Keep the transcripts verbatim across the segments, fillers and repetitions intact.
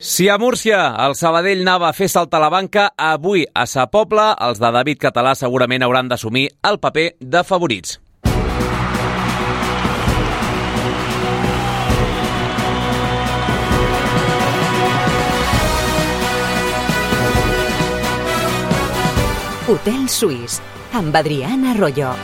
Si a Múrcia el Sabadell anava a fer saltar la banca, avui a Sa Pobla els de David Català segurament hauran d'assumir el paper de favorits. Hotel Suís, amb Adriana Arroyo.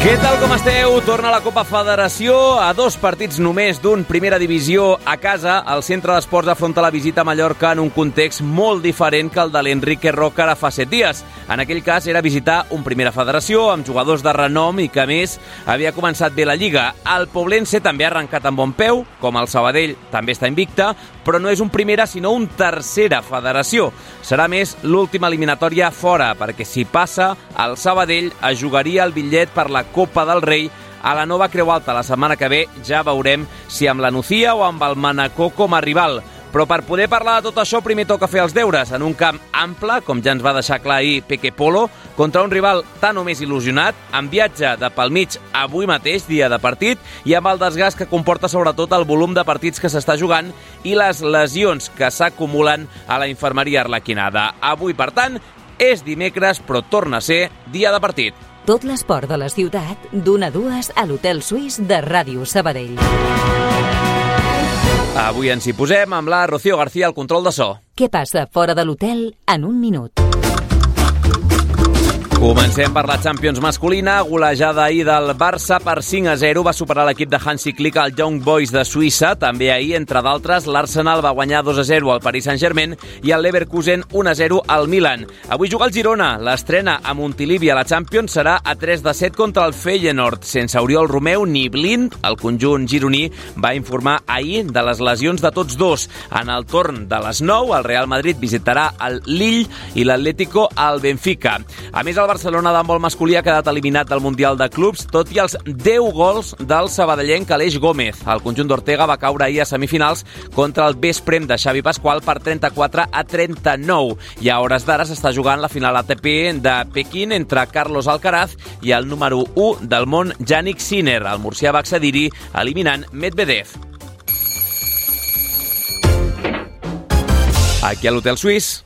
Què tal, com esteu? Torna la Copa Federació a dos partits només d'un Primera Divisió a casa. El Centre d'Esports afronta la visita a Mallorca en un context molt diferent que el de l'Enrique Roca ara fa set dies. En aquell cas era visitar un Primera Federació amb jugadors de renom i que, a més, havia començat bé la Lliga. El Poblense també ha arrencat amb bon peu, com el Sabadell també està invicta, però no és un Primera sinó un Tercera Federació. Serà més l'última eliminatòria fora, perquè si passa, el Sabadell es jugaria el bitllet per la Copa del Rei a la nova Creu Alta la setmana que ve. Ja veurem si amb la Nucía o amb el Manacor com a rival. Però per poder parlar de tot això, primer toca fer els deures en un camp ample, com ja ens va deixar clar ahir Peque Polo, contra un rival tan o més il·lusionat, amb viatge de pel mig avui mateix, dia de partit, i amb el desgast que comporta sobretot el volum de partits que s'està jugant i les lesions que s'acumulen a la infermeria arlequinada. Avui, per tant, és dimecres, però torna a ser dia de partit. Tot l'esport de la ciutat, d'una a dues a l'Hotel Suís de Ràdio Sabadell. Avui ens hi posem amb la Rocío García al control de so. Què passa fora de l'hotel en un minut? Comencem per la Champions masculina. Golejada ahir del Barça per cinc a zero. Va superar l'equip de Hansi Flick al Young Boys de Suïssa. També ahir, entre d'altres, l'Arsenal va guanyar dos a zero al Paris Saint-Germain i el Leverkusen un a zero al Milan. Avui juga el Girona. L'estrena a Montilivi a la Champions serà a tres de set contra el Feyenoord. Sense Oriol Romeu ni Blind, el conjunt gironí va informar ahir de les lesions de tots dos. En el torn de les nou, el Real Madrid visitarà el Lille i l'Atlético al Benfica. A més, el Barcelona d'handbol masculí ha quedat eliminat del Mundial de Clubs, tot i els deu gols del sabadellenc Aleix Gómez. El conjunt d'Ortega va caure ahir a semifinals contra el Vesprem de Xavi Pasqual per trenta-quatre a trenta-nou. I a hores d'ara s'està jugant la final A T P de Pequín entre Carlos Alcaraz i el número u del món, Jannik Sinner. El murcià va accedir-hi eliminant Medvedev. Aquí a l'Hotel Suís.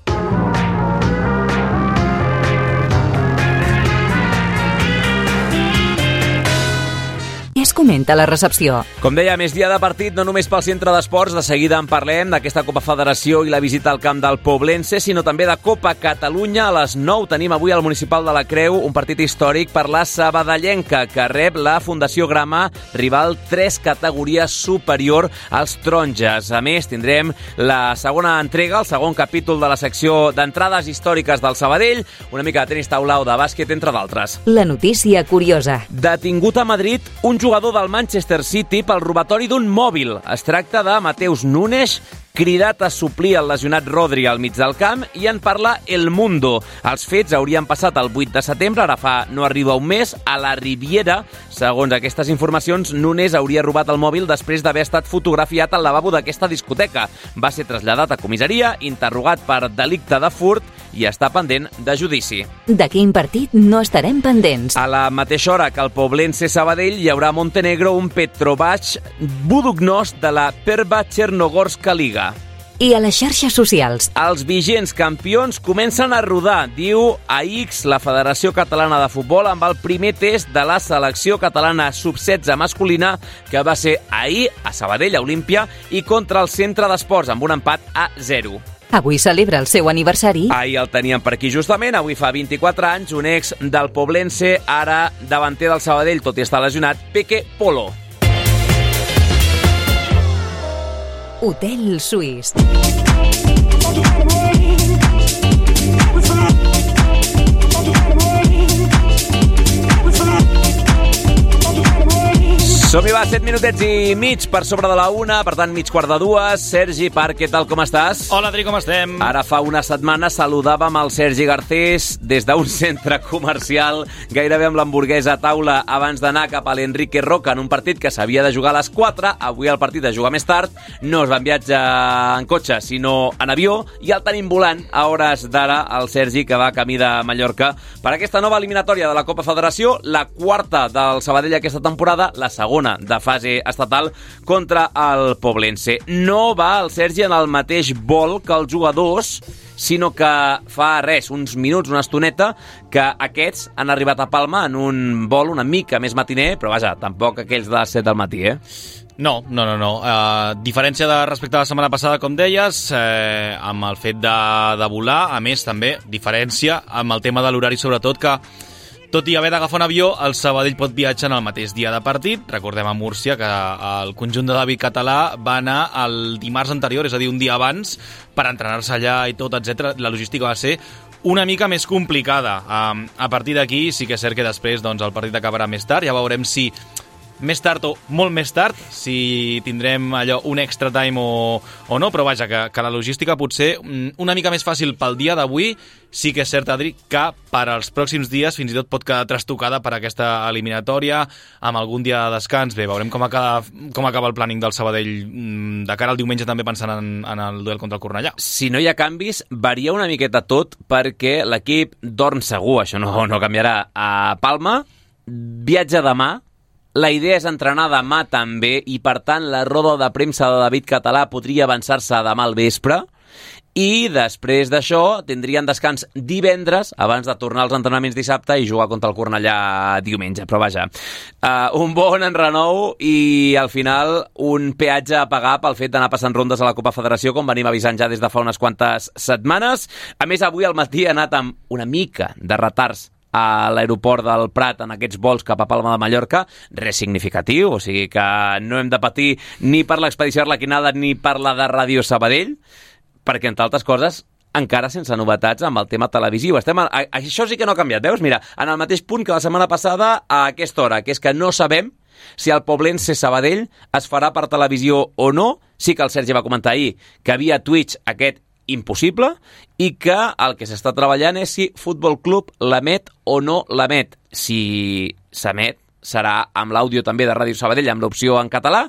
Què es comenta a la recepció? Com deia, més dia de partit, no només pel Centre d'Esports, de seguida en parlem d'aquesta Copa Federació i la visita al camp del Poblense, sinó també de Copa Catalunya. A les nou tenim avui al Municipal de la Creu un partit històric per la sabadellenca, que rep la Fundació Grama, rival tres categories superior als taronges. A més, tindrem la segona entrega, el segon capítol de la secció d'entrades històriques del Sabadell, una mica de tenis taula o de bàsquet, entre d'altres. La notícia curiosa. Detingut a Madrid un jugador del Manchester City pel robatori d'un mòbil. Es tracta de Mateus Nunes, cridat a suplir el lesionat Rodri al mig del camp, i en parla El Mundo. Els fets haurien passat el vuit de setembre, ara fa no arriba un mes, a la Riviera. Segons aquestes informacions, Nunes hauria robat el mòbil després d'haver estat fotografiat al lavabo d'aquesta discoteca. Va ser traslladat a comissaria, interrogat per delicte de furt i està pendent de judici. De quin partit no estarem pendents? A la mateixa hora que el Poblense Sabadell hi haurà a Montenegro un Petrovac Budugnost de la Perva Chernogorska Liga. I a les xarxes socials? Els vigents campions comencen a rodar, diu a X la Federació Catalana de Futbol, amb el primer test de la selecció catalana sub setze masculina, que va ser ahir a Sabadell, a Olímpia, i contra el Centre d'Esports, amb un empat a zero. Avui celebra el seu aniversari. Ahir el teníem per aquí justament, avui fa vint-i-quatre anys, un ex del Poblense, ara davanter del Sabadell, tot i estar lesionat, Peque Polo. Hotel Suís. Som-hi, va, set minutets i mig per sobre de la una, per tant, mig quart de dues. Sergi Parc, què tal, com estàs? Hola, Adri, com estem? Ara fa una setmana saludàvem el Sergi Garcés des d'un centre comercial, gairebé amb l'hamburguesa a taula, abans d'anar cap a l'Enrique Roca en un partit que s'havia de jugar a les quatre. Avui el partit es juga més tard, no es va en viatge en cotxe, sinó en avió, i el tenim volant a hores d'ara el Sergi, que va camí de Mallorca per aquesta nova eliminatòria de la Copa Federació, la quarta del Sabadell aquesta temporada, la segona segona de fase estatal contra el Poblense. No va el Sergi en el mateix vol que els jugadors, sinó que fa res, uns minuts, una estoneta, que aquests han arribat a Palma en un vol una mica més matiner, però vaja, tampoc aquells de les set del matí, eh? No, no, no, no. Uh, diferència de respecte a la setmana passada, com deies, eh, amb el fet de, de volar, a més, també, diferència amb el tema de l'horari, sobretot, que tot i haver d'agafar un avió, el Sabadell pot viatjar en el mateix dia de partit. Recordem a Múrcia que el conjunt de David Català va anar el dimarts anterior, és a dir, un dia abans, per entrenar-se allà i tot, etcètera. La logística va ser una mica més complicada. Um, a partir d'aquí, sí que és cert que després doncs, el partit acabarà més tard. Ja veurem si més tard o molt més tard, si tindrem allò un extra time o, o no, però vaja, que, que la logística potser una mica més fàcil pel dia d'avui. Sí que és cert, Adri, que per als pròxims dies fins i tot pot quedar trastocada per aquesta eliminatòria, amb algun dia de descans. Bé, veurem com acaba, com acaba el planning del Sabadell de cara al diumenge, també pensant en, en el duel contra el Cornellà. Si no hi ha canvis, varia una miqueta tot, perquè l'equip dorm segur, això no, no canviarà, a Palma, viatja demà. La idea és entrenar demà també i, per tant, la roda de premsa de David Català podria avançar-se demà al vespre i després d'això tindrien descans divendres abans de tornar als entrenaments dissabte i jugar contra el Cornellà diumenge. Però vaja, uh, un bon enrenou i al final un peatge a pagar pel fet d'anar passant rondes a la Copa Federació, com venim avisant ja des de fa unes quantes setmanes. A més, avui al matí ha anat amb una mica de retards a l'aeroport del Prat en aquests vols cap a Palma de Mallorca, res significatiu, o sigui que no hem de patir ni per l'expedició arlequinada ni per la de Ràdio Sabadell, perquè, entre altres coses, encara sense novetats amb el tema televisiu. Estem a, a, això sí que no ha canviat, veus? Mira, en el mateix punt que la setmana passada a aquesta hora, que és que no sabem si el Poblense Sabadell es farà per televisió o no. Sí que el Sergi va comentar ahir que havia Twitch aquest impossible i que el que s'està treballant és si Futbol Club l'emet o no l'emet. Si s'emet, serà amb l'àudio també de Ràdio Sabadell, amb l'opció en català,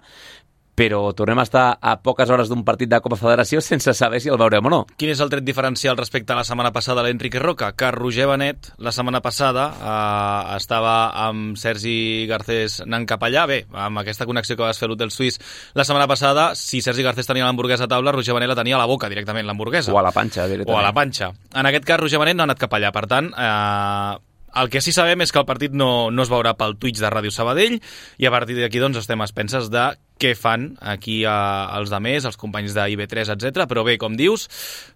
però tornem a estar a poques hores d'un partit de Copa Federació sense saber si el veurem o no. Quin és el tret diferencial respecte a la setmana passada a l'Enrique Roca? Que Roger Benet, la setmana passada, eh, estava amb Sergi Garcés anant cap allà. Bé, amb aquesta connexió que vas fer a l'Hotel Suís la setmana passada, si Sergi Garcés tenia l'hamburguesa a taula, Roger Benet la tenia a la boca directament, l'hamburguesa. O a la panxa, directament. O a la panxa. En aquest cas, Roger Benet no ha anat cap allà. Per tant, eh, el que sí sabem és que el partit no, no es veurà pel Twitch de Ràdio Sabadell i a partir d'aquí doncs, estem a expenses de què fan aquí eh, els demés, els companys d'I B tres, etcètera. Però bé, com dius,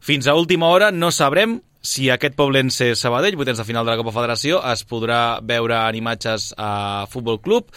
fins a última hora no sabrem si aquest Poblense Sabadell, vuitens de final de la Copa Federació, es podrà veure en imatges a Futbol Club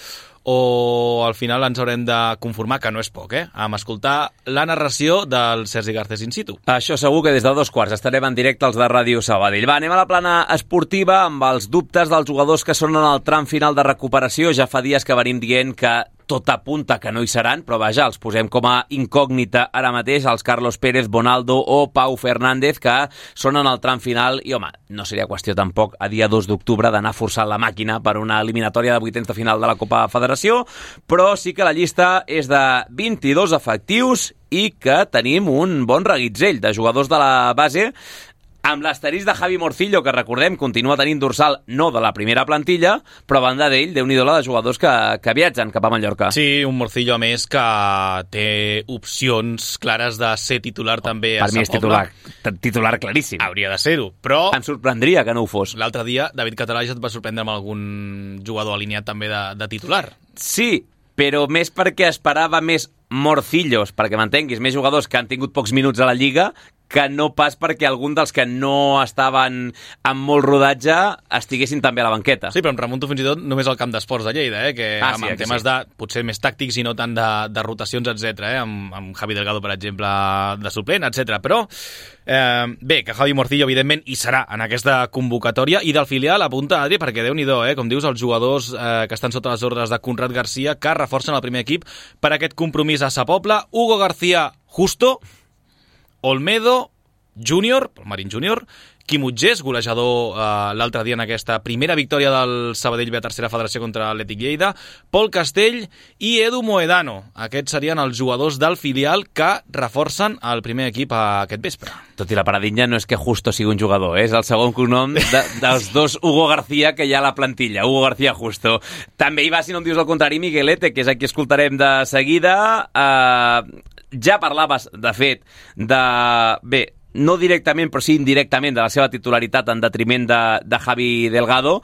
o al final ens haurem de conformar, que no és poc, eh, amb escoltar la narració del Sergi Garcés in situ. Això segur que des de dos quarts estarem en directe als de Ràdio Sabadell. Va, anem a la plana esportiva amb els dubtes dels jugadors que són en el tram final de recuperació. Ja fa dies que venim dient que tot apunta que no hi seran, però vaja, els posem com a incògnita ara mateix els Carlos Pérez, Bonaldo o Pau Fernández, que són en el tram final i, home, no seria qüestió tampoc a dia dos d'octubre d'anar forçant la màquina per una eliminatòria de vuitens de final de la Copa Federació, però sí que la llista és de vint-i-dos efectius i que tenim un bon reguitzell de jugadors de la base, amb l'asterisc de Javi Morcillo, que recordem continua tenint dorsal no de la primera plantilla, però a banda d'ell, déu-n'hi-do la de jugadors que, que viatgen cap a Mallorca. Sí, un Morcillo, a més, que té opcions clares de ser titular oh, també a Per mi és titular, titular claríssim. Hauria de ser-ho, però... Em sorprendria que no ho fos. L'altre dia, David Català ja et va sorprendre amb algun jugador alineat també de, de titular. Sí, però més perquè esperava més Morcillos, perquè m'entenguis, més jugadors que han tingut pocs minuts a la Lliga, que no pas perquè algun dels que no estaven amb molt rodatge estiguessin també a la banqueta. Sí, però em remunto fins i tot només al camp d'esports de Lleida, eh? que ah, amb, sí, amb temes sí. de potser més tàctics i no tant de, de rotacions, etcètera. Eh? Amb, amb Javi Delgado, per exemple, de suplent, etcètera. Però eh, bé, que Javi Morcillo, evidentment, hi serà en aquesta convocatòria i del filial apunta, Adri, perquè déu-n'hi-do, eh? com dius, els jugadors eh, que estan sota les ordres de Conrad García, que reforcen el primer equip per aquest compromís a Sa Pobla. Hugo García Justo, Olmedo, júnior, pel Marín júnior, Quim Utgés, golejador eh, l'altre dia en aquesta primera victòria del Sabadell B a tercera federació contra l'Atlètic Lleida, Pol Castell i Edu Moedano. Aquests serien els jugadors del filial que reforcen el primer equip aquest vespre. Tot i la paradilla no és que Justo sigui un jugador, eh? És el segon cognom de, dels dos Hugo García que hi ha a la plantilla, Hugo García Justo. També hi va, si no em dius el contrari, Miguelete, que és el que escoltarem de seguida. Eh, ja parlaves, de fet, de... Bé, no directament, però sí indirectament, de la seva titularitat en detriment de, de Javi Delgado.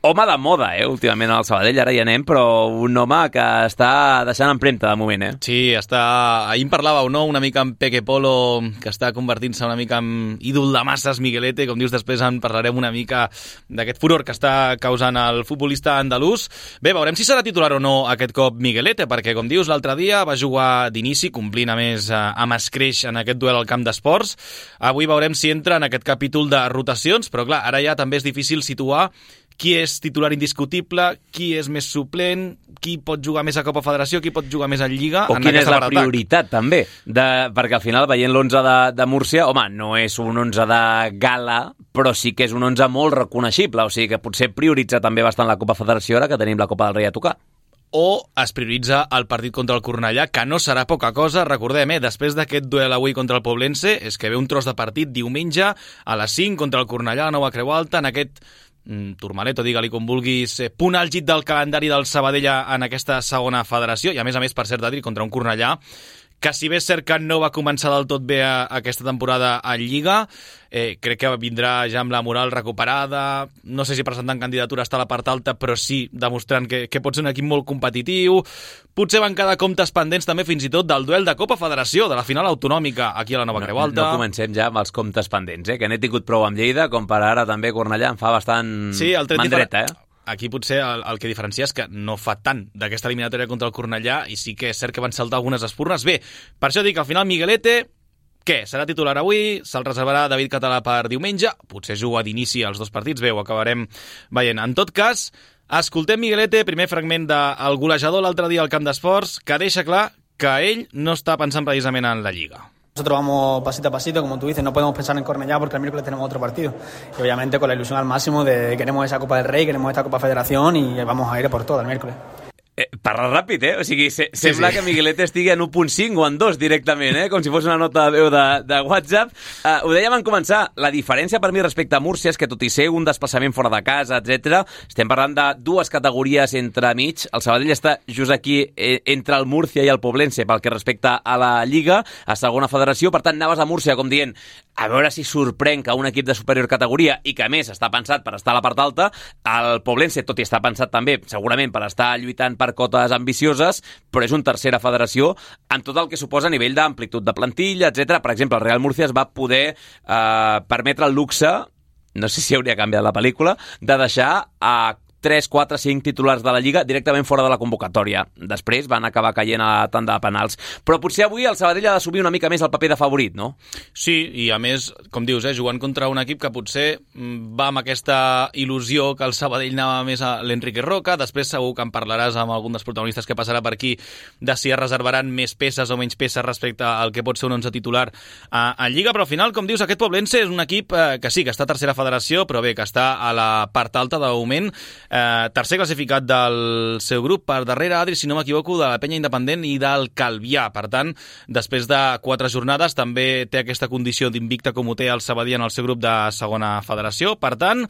Home de moda, eh, últimament al Sabadell, ara hi anem, però un home que està deixant empremta de moment, eh? Sí, està... Ahir en parlàveu, no?, una mica en Peque Polo, que està convertint-se una mica en ídol de masses, Miguelete, com dius, després en parlarem una mica d'aquest furor que està causant el futbolista andalús. Bé, veurem si serà titular o no aquest cop Miguelete, perquè, com dius, l'altre dia va jugar d'inici, complint a més amb escreix en aquest duel al camp d'esports. Avui veurem si entra en aquest capítol de rotacions, però clar, ara ja també és difícil situar qui és titular indiscutible, qui és més suplent, qui pot jugar més a Copa Federació, qui pot jugar més a Lliga. O quina és la prioritat, també. De, perquè al final, veient l'onze de, de Múrcia, home, no és un onze de gala, però sí que és un onze molt reconeixible. O sigui que potser prioritza també bastant la Copa Federació ara que tenim la Copa del Rei a tocar. O es prioritza el partit contra el Cornellà, que no serà poca cosa. Recordem, eh, després d'aquest duel avui contra el Poblense, és que ve un tros de partit diumenge a les cinc contra el Cornellà a Nova Creu Alta, en aquest Turmalet, o digue-li com vulguis, punt àlgid del calendari del Sabadell en aquesta segona federació, i a més a més, per cert, Adri, contra un Cornellà que, si bé és cert que no va començar del tot bé a, a aquesta temporada a Lliga, eh, crec que vindrà ja amb la moral recuperada, no sé si presentant candidatura està a la part alta, però sí demostrant que, que pot ser un equip molt competitiu. Potser van quedar comptes pendents també fins i tot del duel de Copa Federació, de la final autonòmica aquí a la Nova no, Creu Alta. No comencem ja amb els comptes pendents, eh? Que n'he tingut prou amb Lleida, com per ara també Cornellà em fa bastant sí, mandreta, eh? Aquí potser el, el que diferencia és que no fa tant d'aquesta eliminatòria contra el Cornellà i sí que és cert que van saltar algunes espurnes. Bé, per això dic que al final Miguelete, què? Serà titular avui? Se'l reservarà David Català per diumenge? Potser juga d'inici als dos partits, bé, ho acabarem veient. En tot cas, escoltem Miguelete, primer fragment del golejador l'altre dia al camp d'esports, que deixa clar que ell no està pensant precisament en la Lliga. Nosotros vamos pasito a pasito, como tú dices, no podemos pensar en Cornellá porque el miércoles tenemos otro partido. Y obviamente con la ilusión al máximo de queremos esa Copa del Rey, queremos esta Copa Federación y vamos a ir por todo el miércoles. Eh, parla ràpid, eh? O sigui, se, sí, sembla sí. que Miguelete estigui en u punt cinc o en dos directament, eh? Com si fos una nota de veu de, de WhatsApp. Uh, ho dèiem en començar, la diferència per mi respecte a Múrcia és que, tot i ser un desplaçament fora de casa, etcètera, estem parlant de dues categories entre mig. El Sabadell està just aquí eh, entre el Múrcia i el Poblense pel que respecta a la Lliga, a segona federació. Per tant, anaves a Múrcia com dient a veure si sorprèn que un equip de superior categoria i que, a més, està pensat per estar a la part alta, el Poblense, tot i està pensat també, segurament, per estar lluitant per cotes ambicioses, però és una tercera federació amb tot el que suposa a nivell d'amplitud de plantilla, etcètera. Per exemple, el Real Murcia es va poder eh, permetre el luxe, no sé si hauria canviat la pel·lícula, de deixar a tres, quatre, cinc titulars de la Lliga directament fora de la convocatòria. Després van acabar caient a tant de penals. Però potser avui el Sabadell ha d'assumir una mica més el paper de favorit, no? Sí, i a més, com dius, eh, jugant contra un equip que potser va amb aquesta il·lusió que el Sabadell anava més a l'Enrique Roca. Després segur que en parlaràs amb algun dels protagonistes que passarà per aquí de si es reservaran més peces o menys peces respecte al que pot ser un onze titular a, a Lliga, però al final, com dius, aquest Poblense és un equip eh, que sí, que està a tercera federació, però bé, que està a la part alta de moment. Eh, tercer classificat del seu grup, per darrere, Adri, si no m'equivoco, de la Penya Independent i del Calvià. Per tant, després de quatre jornades també té aquesta condició d'invicta com ho té el Sabadell en el seu grup de segona federació. Per tant,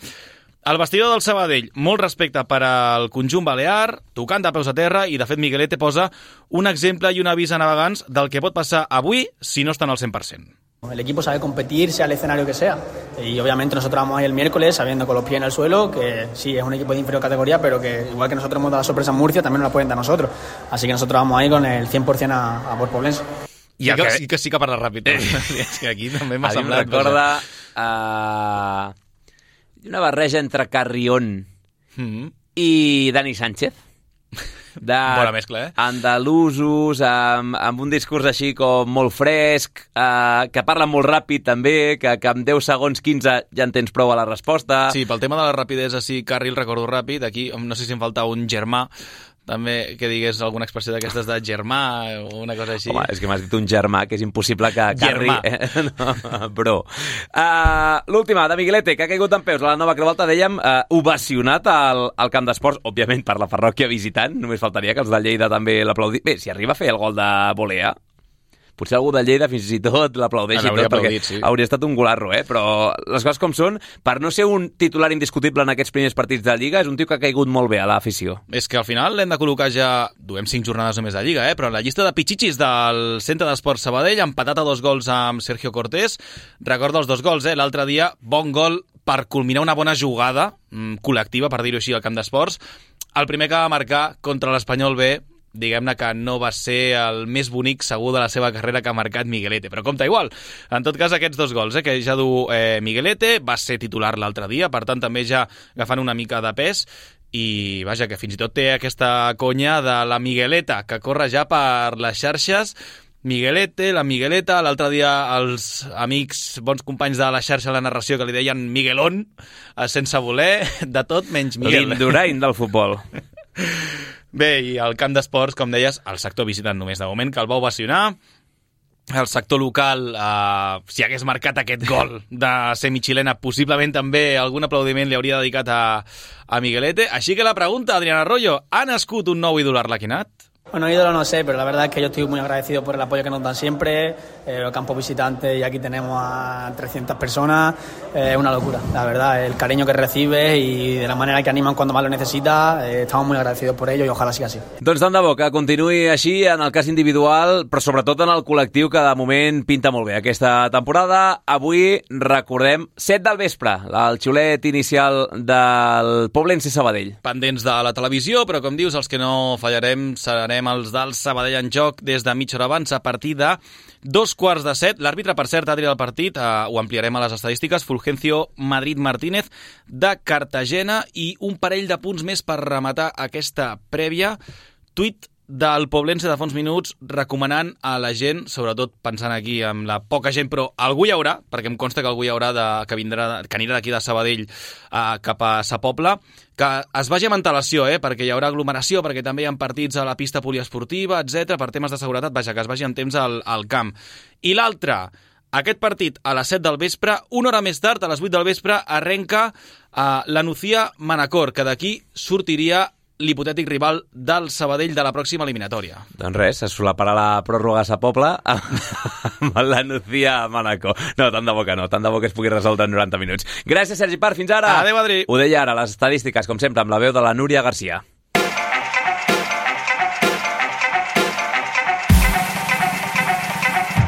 el vestidor del Sabadell, molt respecte per al conjunt balear, tocant de peus a terra, i de fet Miguelete posa un exemple i un avís a navegants del que pot passar avui si no estan al cent per cent. El equipo sabe competir, sea el escenario que sea. Y obviamente nosotros vamos ahí el miércoles sabiendo con los pies en el suelo que sí, es un equipo de inferior categoría, pero que igual que nosotros hemos dado la sorpresa en Murcia, también nos la pueden dar nosotros. Así que nosotros vamos ahí con el cien por cent a, a por Poblense. I que, sí que sí que parla ràpid. Eh. És que aquí també m'ha semblat... A mi em recorda uh, una barreja entre Carrión mm-hmm. i Dani Sánchez. De bona mescla, eh? Andalusos, amb, amb un discurs així com molt fresc, eh, que parlen molt ràpid també, que, que en deu segons, quinze ja en tens prou a la resposta. Sí, pel tema de la rapidesa, sí, carril, recordo ràpid, aquí no sé si em falta un germà, també que digués alguna expressió d'aquestes de germà o una cosa així. Home, és que m'has dit un germà, que és impossible que carri... Eh? No, bro. Uh, l'última, de Miguelete, que ha caigut en peus a la nova Revolta, dèiem, uh, ovacionat al, al camp d'esports, òbviament per la parròquia visitant, només faltaria que els de Lleida també l'aplaudissin. Bé, si arriba a fer el gol de volea, potser algú de Lleida fins i tot l'aplaudeix i tot, perquè sí. Hauria estat un golarro, eh? Però les coses com són, per no ser un titular indiscutible en aquests primers partits de Lliga, és un tio que ha caigut molt bé a l'afició. És que al final l'hem de col·locar ja, duem cinc jornades només de Lliga, eh? Però en la llista de pitxitxis del Centre d'Esports Sabadell, empatat a dos gols amb Sergio Cortés. Recorda els dos gols, eh? L'altre dia, bon gol per culminar una bona jugada mmm, col·lectiva, per dir-ho així, al camp d'esports. El primer que va marcar contra l'Espanyol B, diguem-ne que no va ser el més bonic segur de la seva carrera que ha marcat Miguelete, però compta igual. En tot cas, aquests dos gols, eh, que ja du eh, Miguelete, va ser titular l'altre dia, per tant també ja agafant una mica de pes, i vaja, que fins i tot té aquesta conya de la Migueleta, que corre ja per les xarxes. Miguelete, la Migueleta, l'altre dia els amics, bons companys de la xarxa de la narració que li deien Miguelón, sense voler, de tot menys Miguel. L'Indurain del futbol. Bé, i al camp d'esports, com deies, el sector visitant només de moment, que el va ovacionar. El sector local, eh, si hagués marcat aquest gol de semi-xilena, possiblement també algun aplaudiment li hauria dedicat a, a Miguelete. Així que la pregunta, Adrián Arroyo, ¿ha nascut un nou ídol arlequinat? Bueno, ídolo no sé, pero la verdad es que yo estoy muy agradecido por el apoyo que nos dan siempre, eh, los campos visitantes, y aquí tenemos a trescientas personas, es eh, una locura, la verdad, el cariño que recibes y de la manera que animan cuando más lo necesitas, eh, estamos muy agradecidos por ello y ojalá siga así. Doncs tant de bo que continuï així en el cas individual, però sobretot en el col·lectiu, que de moment pinta molt bé aquesta temporada. Avui recordem set del vespre, el xiulet inicial del Poblense Sabadell. Pendents de la televisió, però com dius, els que no fallarem serem els del Sabadell en joc des de mitja hora abans, a partir de dos quarts de set. L'àrbitre, per cert, Adri, del partit, eh, ho ampliarem a les estadístiques, Fulgencio Madrid Martínez de Cartagena, i un parell de punts més per rematar aquesta prèvia. Tuit del Poblense de fa uns minuts recomanant a la gent, sobretot pensant aquí amb la poca gent, però algú hi haurà, perquè em consta que algú hi haurà de, que, vindrà, que anirà d'aquí de Sabadell eh, cap a Sa Pobla, que es vagi amb antelació, eh, perquè hi haurà aglomeració, perquè també hi ha partits a la pista poliesportiva, etcètera, per temes de seguretat, vaja, que es vagi amb temps al, al camp. I l'altre, aquest partit a les set del vespre, una hora més tard, a les vuit del vespre, arrenca eh, la Nucía Manacor, que d'aquí sortiria l'hipotètic rival del Sabadell de la pròxima eliminatòria. Doncs res, es solaparà la pròrroga a Sa Pobla amb la Nucía Manacor. No, tant de bo que no, tant de bo que es pugui resoldre en noranta minuts. Gràcies, Sergi Parr, fins ara! Adéu, Adri! Ho deia ara, les estadístiques, com sempre, amb la veu de la Núria Garcia.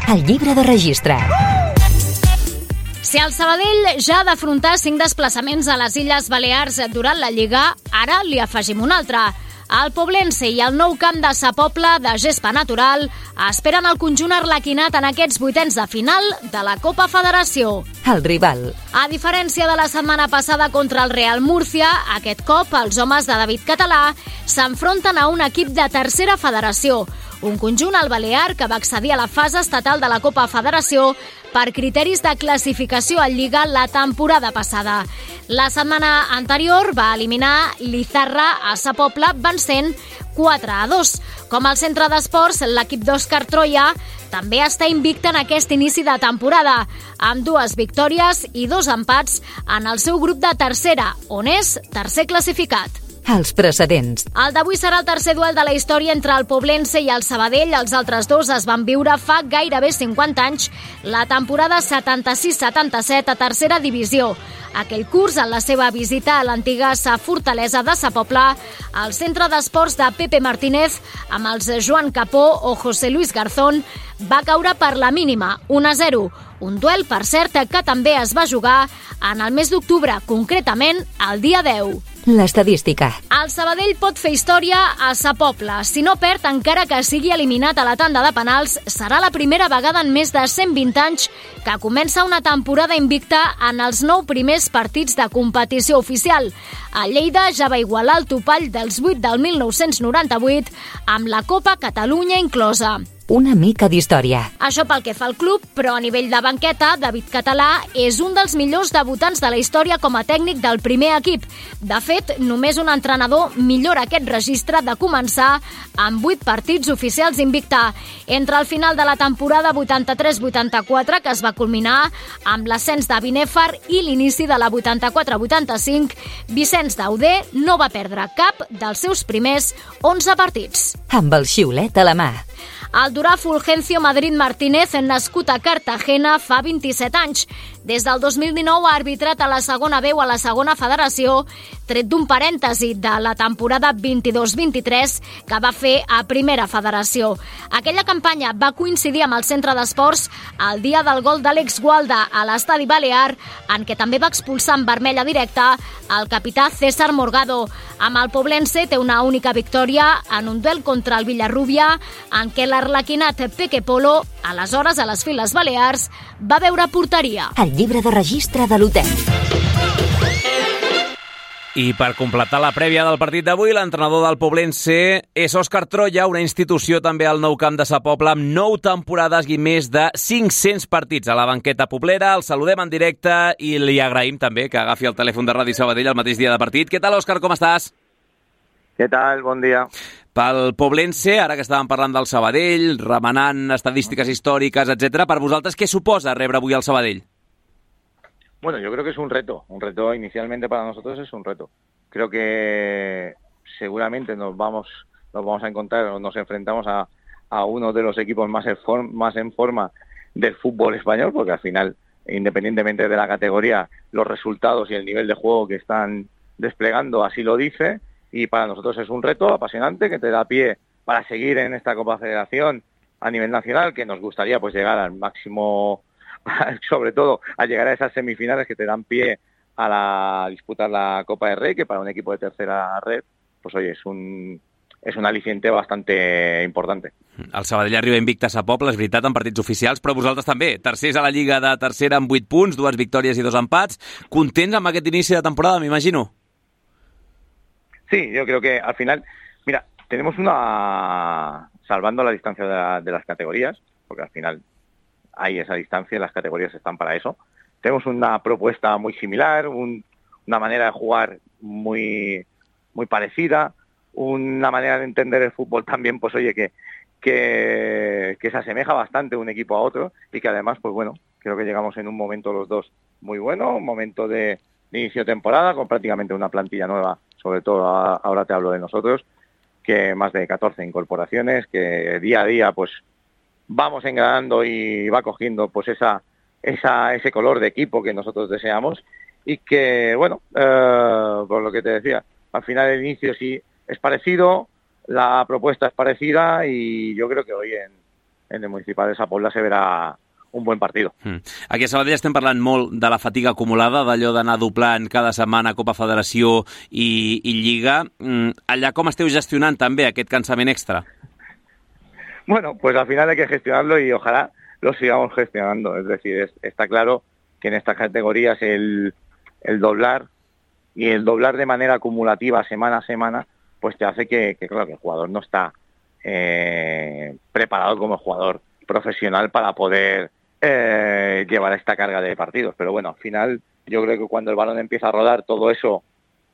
El llibre de registre. Si el Sabadell ja ha d'afrontar cinc desplaçaments a les Illes Balears durant la Lliga, ara li afegim un altre. El Poblense i el nou camp de Sa Pobla de gespa natural esperen el conjunt arlequinat en aquests vuitens de final de la Copa Federació. El rival. A diferència de la setmana passada contra el Real Múrcia, aquest cop els homes de David Català s'enfronten a un equip de tercera federació, un conjunt al Balear que va accedir a la fase estatal de la Copa Federació per criteris de classificació a Lliga la temporada passada. La setmana anterior va eliminar l'Izarra a Sa Pobla vencent quatre a dos. Com al centre d'esports, l'equip d'Òscar Troia també està invicte en aquest inici de temporada, amb dues victòries i dos empats en el seu grup de tercera, on és tercer classificat. Els precedents. El d'avui serà el tercer duel de la història entre el Poblense i el Sabadell. Els altres dos es van viure fa gairebé cinquanta anys, la temporada setanta-sis setanta-set a tercera divisió. Aquell curs, en la seva visita a l'antiga fortalesa de Sa Pobla, el centre d'esports de Pepe Martínez, amb els Joan Capó o José Luis Garzón, va caure per la mínima, un a zero. Un duel, per cert, que també es va jugar en el mes d'octubre, concretament el dia deu. L'estadística. El Sabadell pot fer història a Sa Pobla. Si no perd, encara que sigui eliminat a la tanda de penals, serà la primera vegada en més de cent vint anys que comença una temporada invicta en els nou primers partits de competició oficial. El Lleida ja va igualar el topall dels vuit del mil nou-cents noranta-vuit amb la Copa Catalunya inclosa. una mica d'història. Això pel que fa al club, però a nivell de banqueta, David Català és un dels millors debutants de la història com a tècnic del primer equip. De fet, només un entrenador millora aquest registre de començar amb vuit partits oficials invicta. Entre el final de la temporada vuitanta-tres vuitanta-quatre, que es va culminar amb l'ascens de Binèfar, i l'inici de la vuitanta-quatre vuitanta-cinc, Vicenç Dauder no va perdre cap dels seus primers onze partits. Amb el xiulet a la mà. El durà Fulgencio Madrid Martínez, nascut a Cartagena fa vint-i-set anys. Des del dos mil dinou ha arbitrat a la segona B o a la segona federació, tret d'un parèntesi de la temporada vint-i-dos vint-i-tres que va fer a primera federació. Aquella campanya va coincidir amb el centre d'esports el dia del gol d'Àlex Gualda a l'estadi Balear, en què també va expulsar en vermella directa el capità César Morgado. Amb el Poblense té una única victòria en un duel contra el Villarrubia, en què l'arlequinat Peque Polo, aleshores a les files balears, va veure porteria. El llibre de registre de l'hotel. I per completar la prèvia del partit d'avui, l'entrenador del Poblense és Òscar Troya, una institució també al nou camp de Sa Pobla amb nou temporades i més de cinc-cents partits a la banqueta poblera. El saludem en directe i li agraïm també que agafi el telèfon de Ràdio Sabadell el mateix dia de partit. Què tal, Òscar, com estàs? Què tal? Bon dia. Pel Poblense, ara que estàvem parlant del Sabadell, remenant estadístiques històriques, etcètera, per vosaltres què suposa rebre avui el Sabadell? Bueno, yo creo que es un reto, un reto inicialmente para nosotros es un reto. Creo que seguramente nos vamos, nos vamos a encontrar o nos enfrentamos a, a uno de los equipos más en, form, más en forma del fútbol español, porque al final, independientemente de la categoría, los resultados y el nivel de juego que están desplegando así lo dice, y para nosotros es un reto apasionante que te da pie para seguir en esta Copa Federación a nivel nacional, que nos gustaría pues llegar al máximo, sobre todo a llegar a esas semifinales que te dan pie a la, disputar la Copa del Rey, que para un equipo de tercera red, pues oye, es un, és un al·licient bastante importante. El Sabadell arriba invicte a Sa Pobla, és veritat, en partits oficials, però vosaltres també. Tercers a la Lliga de tercera amb vuit punts, dues victòries i dos empats. Contents amb aquest inici de temporada, m'imagino? Sí, yo creo que al final, mira, tenemos una, salvando la distancia de, la, de las categorías, porque al final hay esa distancia, las categorías están para eso. Tenemos una propuesta muy similar, un, una manera de jugar muy, muy parecida, una manera de entender el fútbol también, pues oye, que, que, que se asemeja bastante un equipo a otro y que además, pues bueno, creo que llegamos en un momento los dos muy bueno, un momento de, de inicio de temporada con prácticamente una plantilla nueva, sobre todo ahora te hablo de nosotros, que más de catorce incorporaciones, que día a día pues vamos engranando y va cogiendo pues esa, esa ese color de equipo que nosotros deseamos y que, bueno, eh, por lo que te decía, al final el inicio sí es parecido, la propuesta es parecida y yo creo que hoy en, en el Municipal de Sa Pobla se verá un buen partido. Mm. Aquí a Sabadell estem parlant molt de la fatiga acumulada, d'allò d'anar doblant cada setmana Copa Federació i, i Lliga. Mm. Allà com esteu gestionant també aquest cansament extra? Bueno, pues al final hay que gestionarlo y ojalá lo sigamos gestionando. Es decir, es, está claro que en estas categorías el, el doblar y el doblar de manera acumulativa semana a semana, pues te hace que, que claro, que el jugador no está eh, preparado como jugador profesional para poder eh, llevar esta carga de partidos. Pero bueno, al final yo creo que cuando el balón empieza a rodar todo eso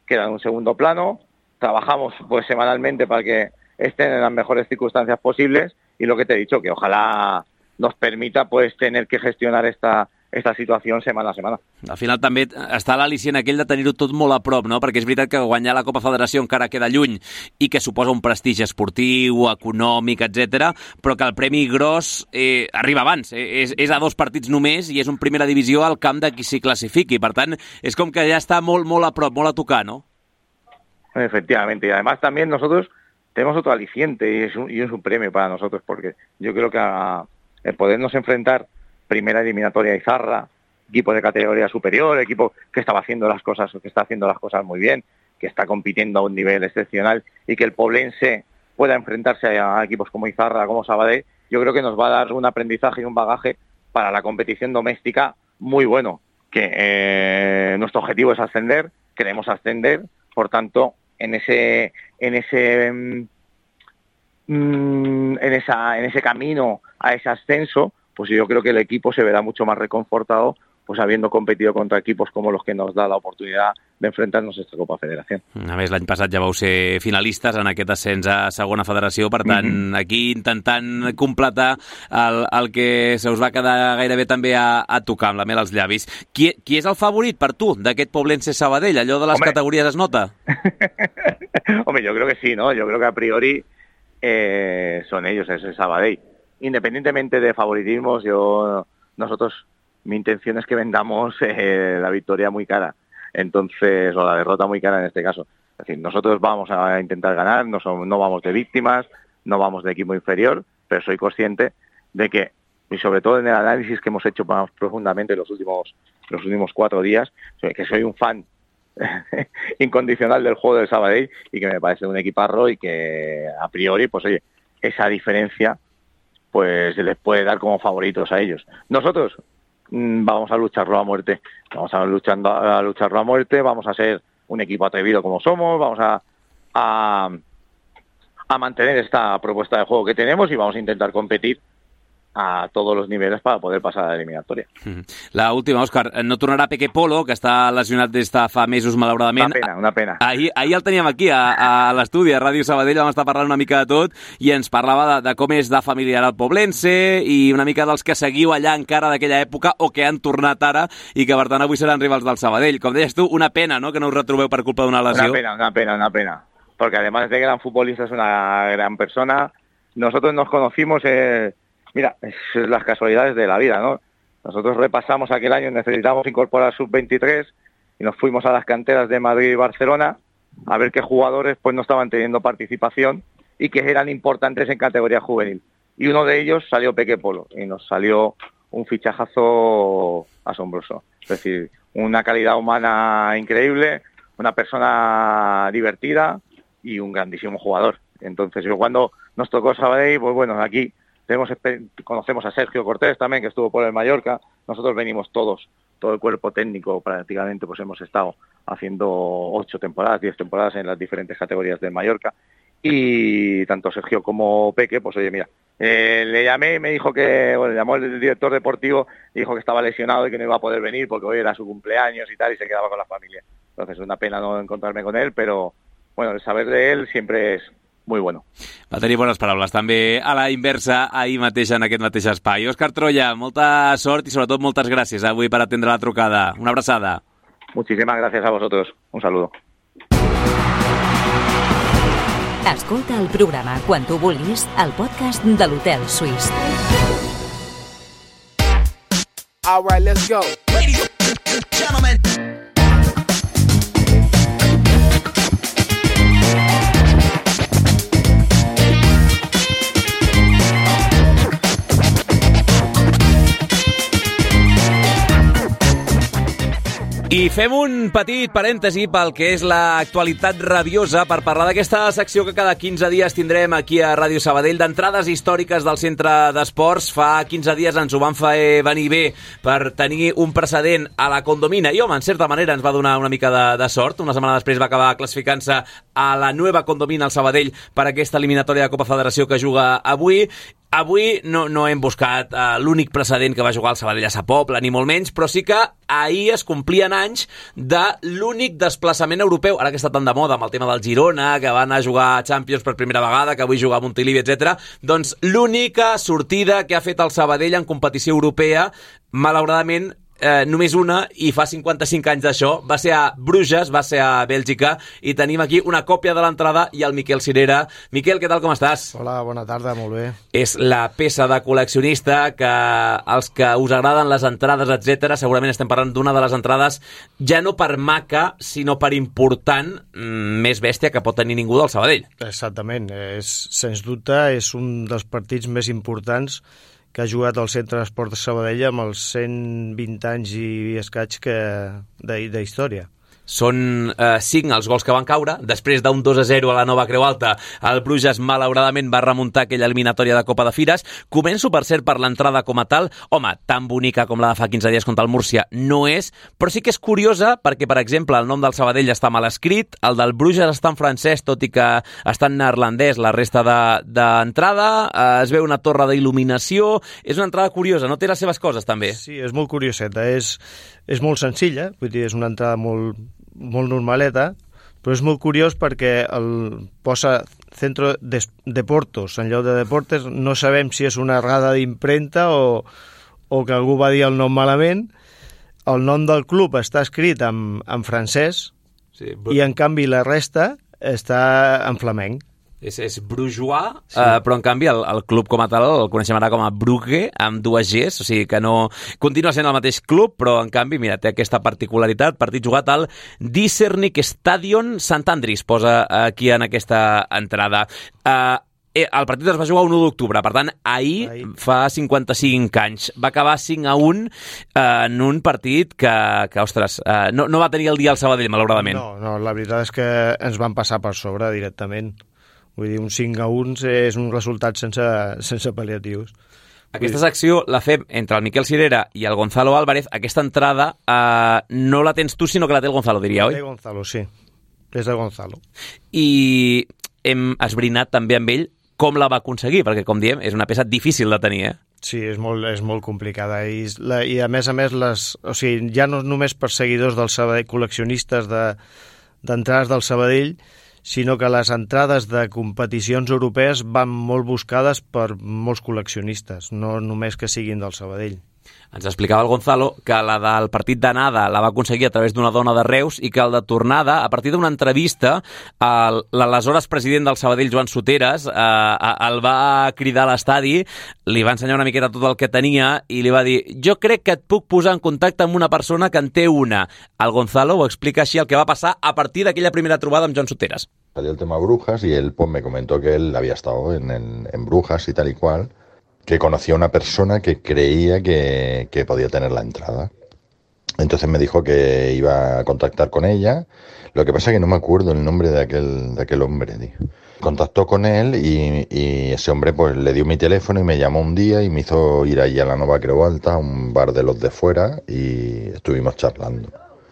queda en un segundo plano. Trabajamos pues semanalmente para que estén en las mejores circunstancias posibles y lo que te he dicho, que ojalá nos permita pues tener que gestionar esta esta situació setmana a setmana. Al final també està l'al·licient aquell de tenir-ho tot molt a prop, no? Perquè és veritat que guanyar la Copa Federació encara queda lluny i que suposa un prestigi esportiu, econòmic, etcètera, però que el premi gros eh, arriba abans. Eh, és, és a dos partits només i és un primera divisió al camp de qui s'hi classifiqui. Per tant, és com que ja està molt, molt a prop, molt a tocar, ¿no? Efectivamente. Y además también nosotros tenemos otro aliciente y es un, y es un premio para nosotros porque yo creo que a, el podernos enfrentar primera eliminatoria a Izarra, equipo de categoría superior, equipo que estaba haciendo las cosas, que está haciendo las cosas muy bien, que está compitiendo a un nivel excepcional y que el Poblense pueda enfrentarse a equipos como Izarra, como Sabadell, yo creo que nos va a dar un aprendizaje y un bagaje para la competición doméstica muy bueno, que eh, nuestro objetivo es ascender, queremos ascender, por tanto, en ese en ese en en, esa, en ese camino a ese ascenso, pues yo creo que el equipo se verá mucho más reconfortado, pues habiendo competido contra equipos como los que nos da la oportunidad de enfrentarnos a esta Copa Federació. A més, l'any passat ja vau ser finalistes en aquest ascens a segona federació, per tant, mm-hmm. aquí intentant completar el, el que se us va quedar gairebé també a, a tocar amb la mel als llavis. Qui, qui és el favorit per tu d'aquest Poblense Sabadell? Allò de les Hombre. categories es nota? Hombre, yo creo que sí, ¿no? Yo creo que a priori eh, son ellos, es el Sabadell. Independientemente de favoritismos, yo nosotros... mi intención es que vendamos eh, la victoria muy cara, entonces, o la derrota muy cara en este caso. Es decir, nosotros vamos a intentar ganar, no, somos, no vamos de víctimas, no vamos de equipo inferior, pero soy consciente de que, y sobre todo en el análisis que hemos hecho más profundamente los últimos, los últimos cuatro días, que soy un fan incondicional del juego del Sabadell y que me parece un equiparro y que a priori, pues oye, esa diferencia pues se les puede dar como favoritos a ellos. Nosotros vamos a lucharlo a muerte, vamos a, luchando, a lucharlo a muerte, vamos a ser un equipo atrevido como somos, vamos a, a, a mantener esta propuesta de juego que tenemos y vamos a intentar competir a tots els nivells per poder passar a l'eliminatòria. La última, Òscar, no tornarà Peque Polo, que està lesionat des de fa mesos, malauradament. Una pena, una pena. Ahir, ahir el teníem aquí, a, a l'estudi, a Ràdio Sabadell, vam estar parlant una mica de tot i ens parlava de, de com és de familiar el Poblense i una mica dels que seguiu allà encara d'aquella època o que han tornat ara i que, per tant, avui seran rivals del Sabadell. Com deies tu, una pena, ¿no?, que no us retrobeu per culpa d'una lesió. Una pena, una pena, una pena. Porque además de gran futbolista es una gran persona. Nosotros nos conocimos... Eh... Mira, es las casualidades de la vida, ¿no? Nosotros repasamos aquel año, necesitamos incorporar sub veintitrés y nos fuimos a las canteras de Madrid y Barcelona a ver qué jugadores pues no estaban teniendo participación y que eran importantes en categoría juvenil. Y uno de ellos salió Peque Polo y nos salió un fichajazo asombroso. Es decir, una calidad humana increíble, una persona divertida y un grandísimo jugador. Entonces, yo cuando nos tocó Sabadell, pues bueno, aquí... Tenemos, conocemos a Sergio Cortés también, que estuvo por el Mallorca. Nosotros venimos todos, todo el cuerpo técnico prácticamente, pues hemos estado haciendo ocho temporadas, diez temporadas en las diferentes categorías del Mallorca. Y tanto Sergio como Peque, pues oye, mira, eh, le llamé y me dijo que, bueno, le llamó el director deportivo y dijo que estaba lesionado y que no iba a poder venir porque hoy era su cumpleaños y tal, y se quedaba con la familia. Entonces es una pena no encontrarme con él, pero bueno, el saber de él siempre es muy bueno. Va tenir bones paraules també a la inversa ahir mateix en aquest mateix espai. Òscar Troya, molta sort i sobretot moltes gràcies avui per atendre la trucada. Una abraçada. Muchísimas gracias a vosotros. Un saludo. Escolta el programa quan tu vulguis al podcast de l'Hotel Suís. All right, let's go. Ladies and gentlemen. I fem un petit parèntesi pel que és l'actualitat rabiosa per parlar d'aquesta secció que cada quinze dies tindrem aquí a Ràdio Sabadell d'entrades històriques del centre d'esports. Fa quinze dies ens ho van fer venir bé per tenir un precedent a la Condomina i, home, en certa manera ens va donar una mica de, de sort. Una setmana després va acabar classificant-se a la nova Condomina al Sabadell per aquesta eliminatòria de Copa Federació que juga avui. Avui no, no hem buscat uh, l'únic precedent que va jugar el Sabadell a Sa Pobla, ni molt menys, però sí que ahir es complien anys de l'únic desplaçament europeu, ara que està tan de moda amb el tema del Girona, que van a jugar a Champions per primera vegada, que avui juga a Montilivi, etcètera. Doncs l'única sortida que ha fet el Sabadell en competició europea, malauradament, Eh, només una, i fa cinquanta-cinc anys d'això, va ser a Bruges, va ser a Bèlgica, i tenim aquí una còpia de l'entrada i el Miquel Cirera. Miquel, què tal, com estàs? Hola, bona tarda, molt bé. És la peça de col·leccionista que els que us agraden les entrades, etcètera, segurament estem parlant d'una de les entrades ja no per maca, sinó per important, més bèstia que pot tenir ningú del Sabadell. Exactament, és, sens dubte és un dels partits més importants que ha jugat al Centre d'Esports de Sabadell amb els cent vint anys i escaig que, de, de història. Són eh, cinc els gols que van caure. Després d'un dos a zero a la Nova Creu Alta, el Bruges malauradament va remuntar aquella eliminatòria de Copa de Fires. Començo, per cert, per l'entrada com a tal. Home, tan bonica com la de fa quinze dies contra el Múrcia no és, però sí que és curiosa perquè, per exemple, el nom del Sabadell està mal escrit, el del Bruges està en francès, tot i que està en neerlandès la resta d'entrada, de, eh, es veu una torre d'il·luminació. És una entrada curiosa, no té les seves coses, també. Sí, és molt curioseta, és, és molt senzilla, vull dir, és una entrada molt molt normaleta, però és molt curiós perquè el posa Centro de Deportos en lloc de Deportes. No sabem si és una errada d'impremta o, o que algú va dir el nom malament. El nom del club està escrit en, en francès, sí, i en canvi la resta està en flamenc. És, és Brujois, sí. uh, però en canvi el, el club com a tal el coneixem ara com a Brugge, amb dues Gs, o sigui que no... Continua sent el mateix club, però en canvi, mira, té aquesta particularitat. Partit jugat al Disernik Stadion Sant Andris, posa aquí en aquesta entrada. Uh, el partit es va jugar un u d'octubre, per tant, ahir, ahir, fa cinquanta-cinc anys. Va acabar cinc a un eh, en un partit que, que ostres, eh, no, no va tenir el dia al Sabadell, malauradament. No, no, la veritat és que ens van passar per sobre directament. Vull dir, un cinc a un és un resultat sense, sense pal·liatius. Aquesta secció la fem entre el Miquel Cirera i el Gonzalo Álvarez. Aquesta entrada eh, no la tens tu, sinó que la té el Gonzalo, diria, oi? De Gonzalo, sí. És de Gonzalo. I hem esbrinat també amb ell com la va aconseguir, perquè, com diem, és una peça difícil de tenir, eh? Sí, és molt, és molt complicada. I, la, i a més a més, les, o sigui, ja no només per seguidors del Sabadell, col·leccionistes d'entrades de, del Sabadell, sinó que les entrades de competicions europees van molt buscades per molts col·leccionistes, no només que siguin del Sabadell. Ens explicava el Gonzalo que la del partit d'anada la va aconseguir a través d'una dona de Reus i que el de tornada, a partir d'una entrevista, l'aleshores president del Sabadell, Joan Soteres, eh, el va cridar a l'estadi, li va ensenyar una miqueta tot el que tenia i li va dir: jo crec que et puc posar en contacte amb una persona que en té una. El Gonzalo ho explica així el que va passar a partir d'aquella primera trobada amb Joan Soteres. Salió el tema Brujas y él pues me comentó que él había estado en, en, en Brujas y tal y cual, que conocía a una persona que creía que, que podía tener la entrada. Entonces me dijo que iba a contactar con ella. Lo que pasa es que no me acuerdo el nombre de aquel, de aquel hombre, tío. Contactó con él y, y ese hombre pues le dio mi teléfono y me llamó un día y me hizo ir allí a la Nova Creu Alta, a un bar de los de fuera, y estuvimos charlando.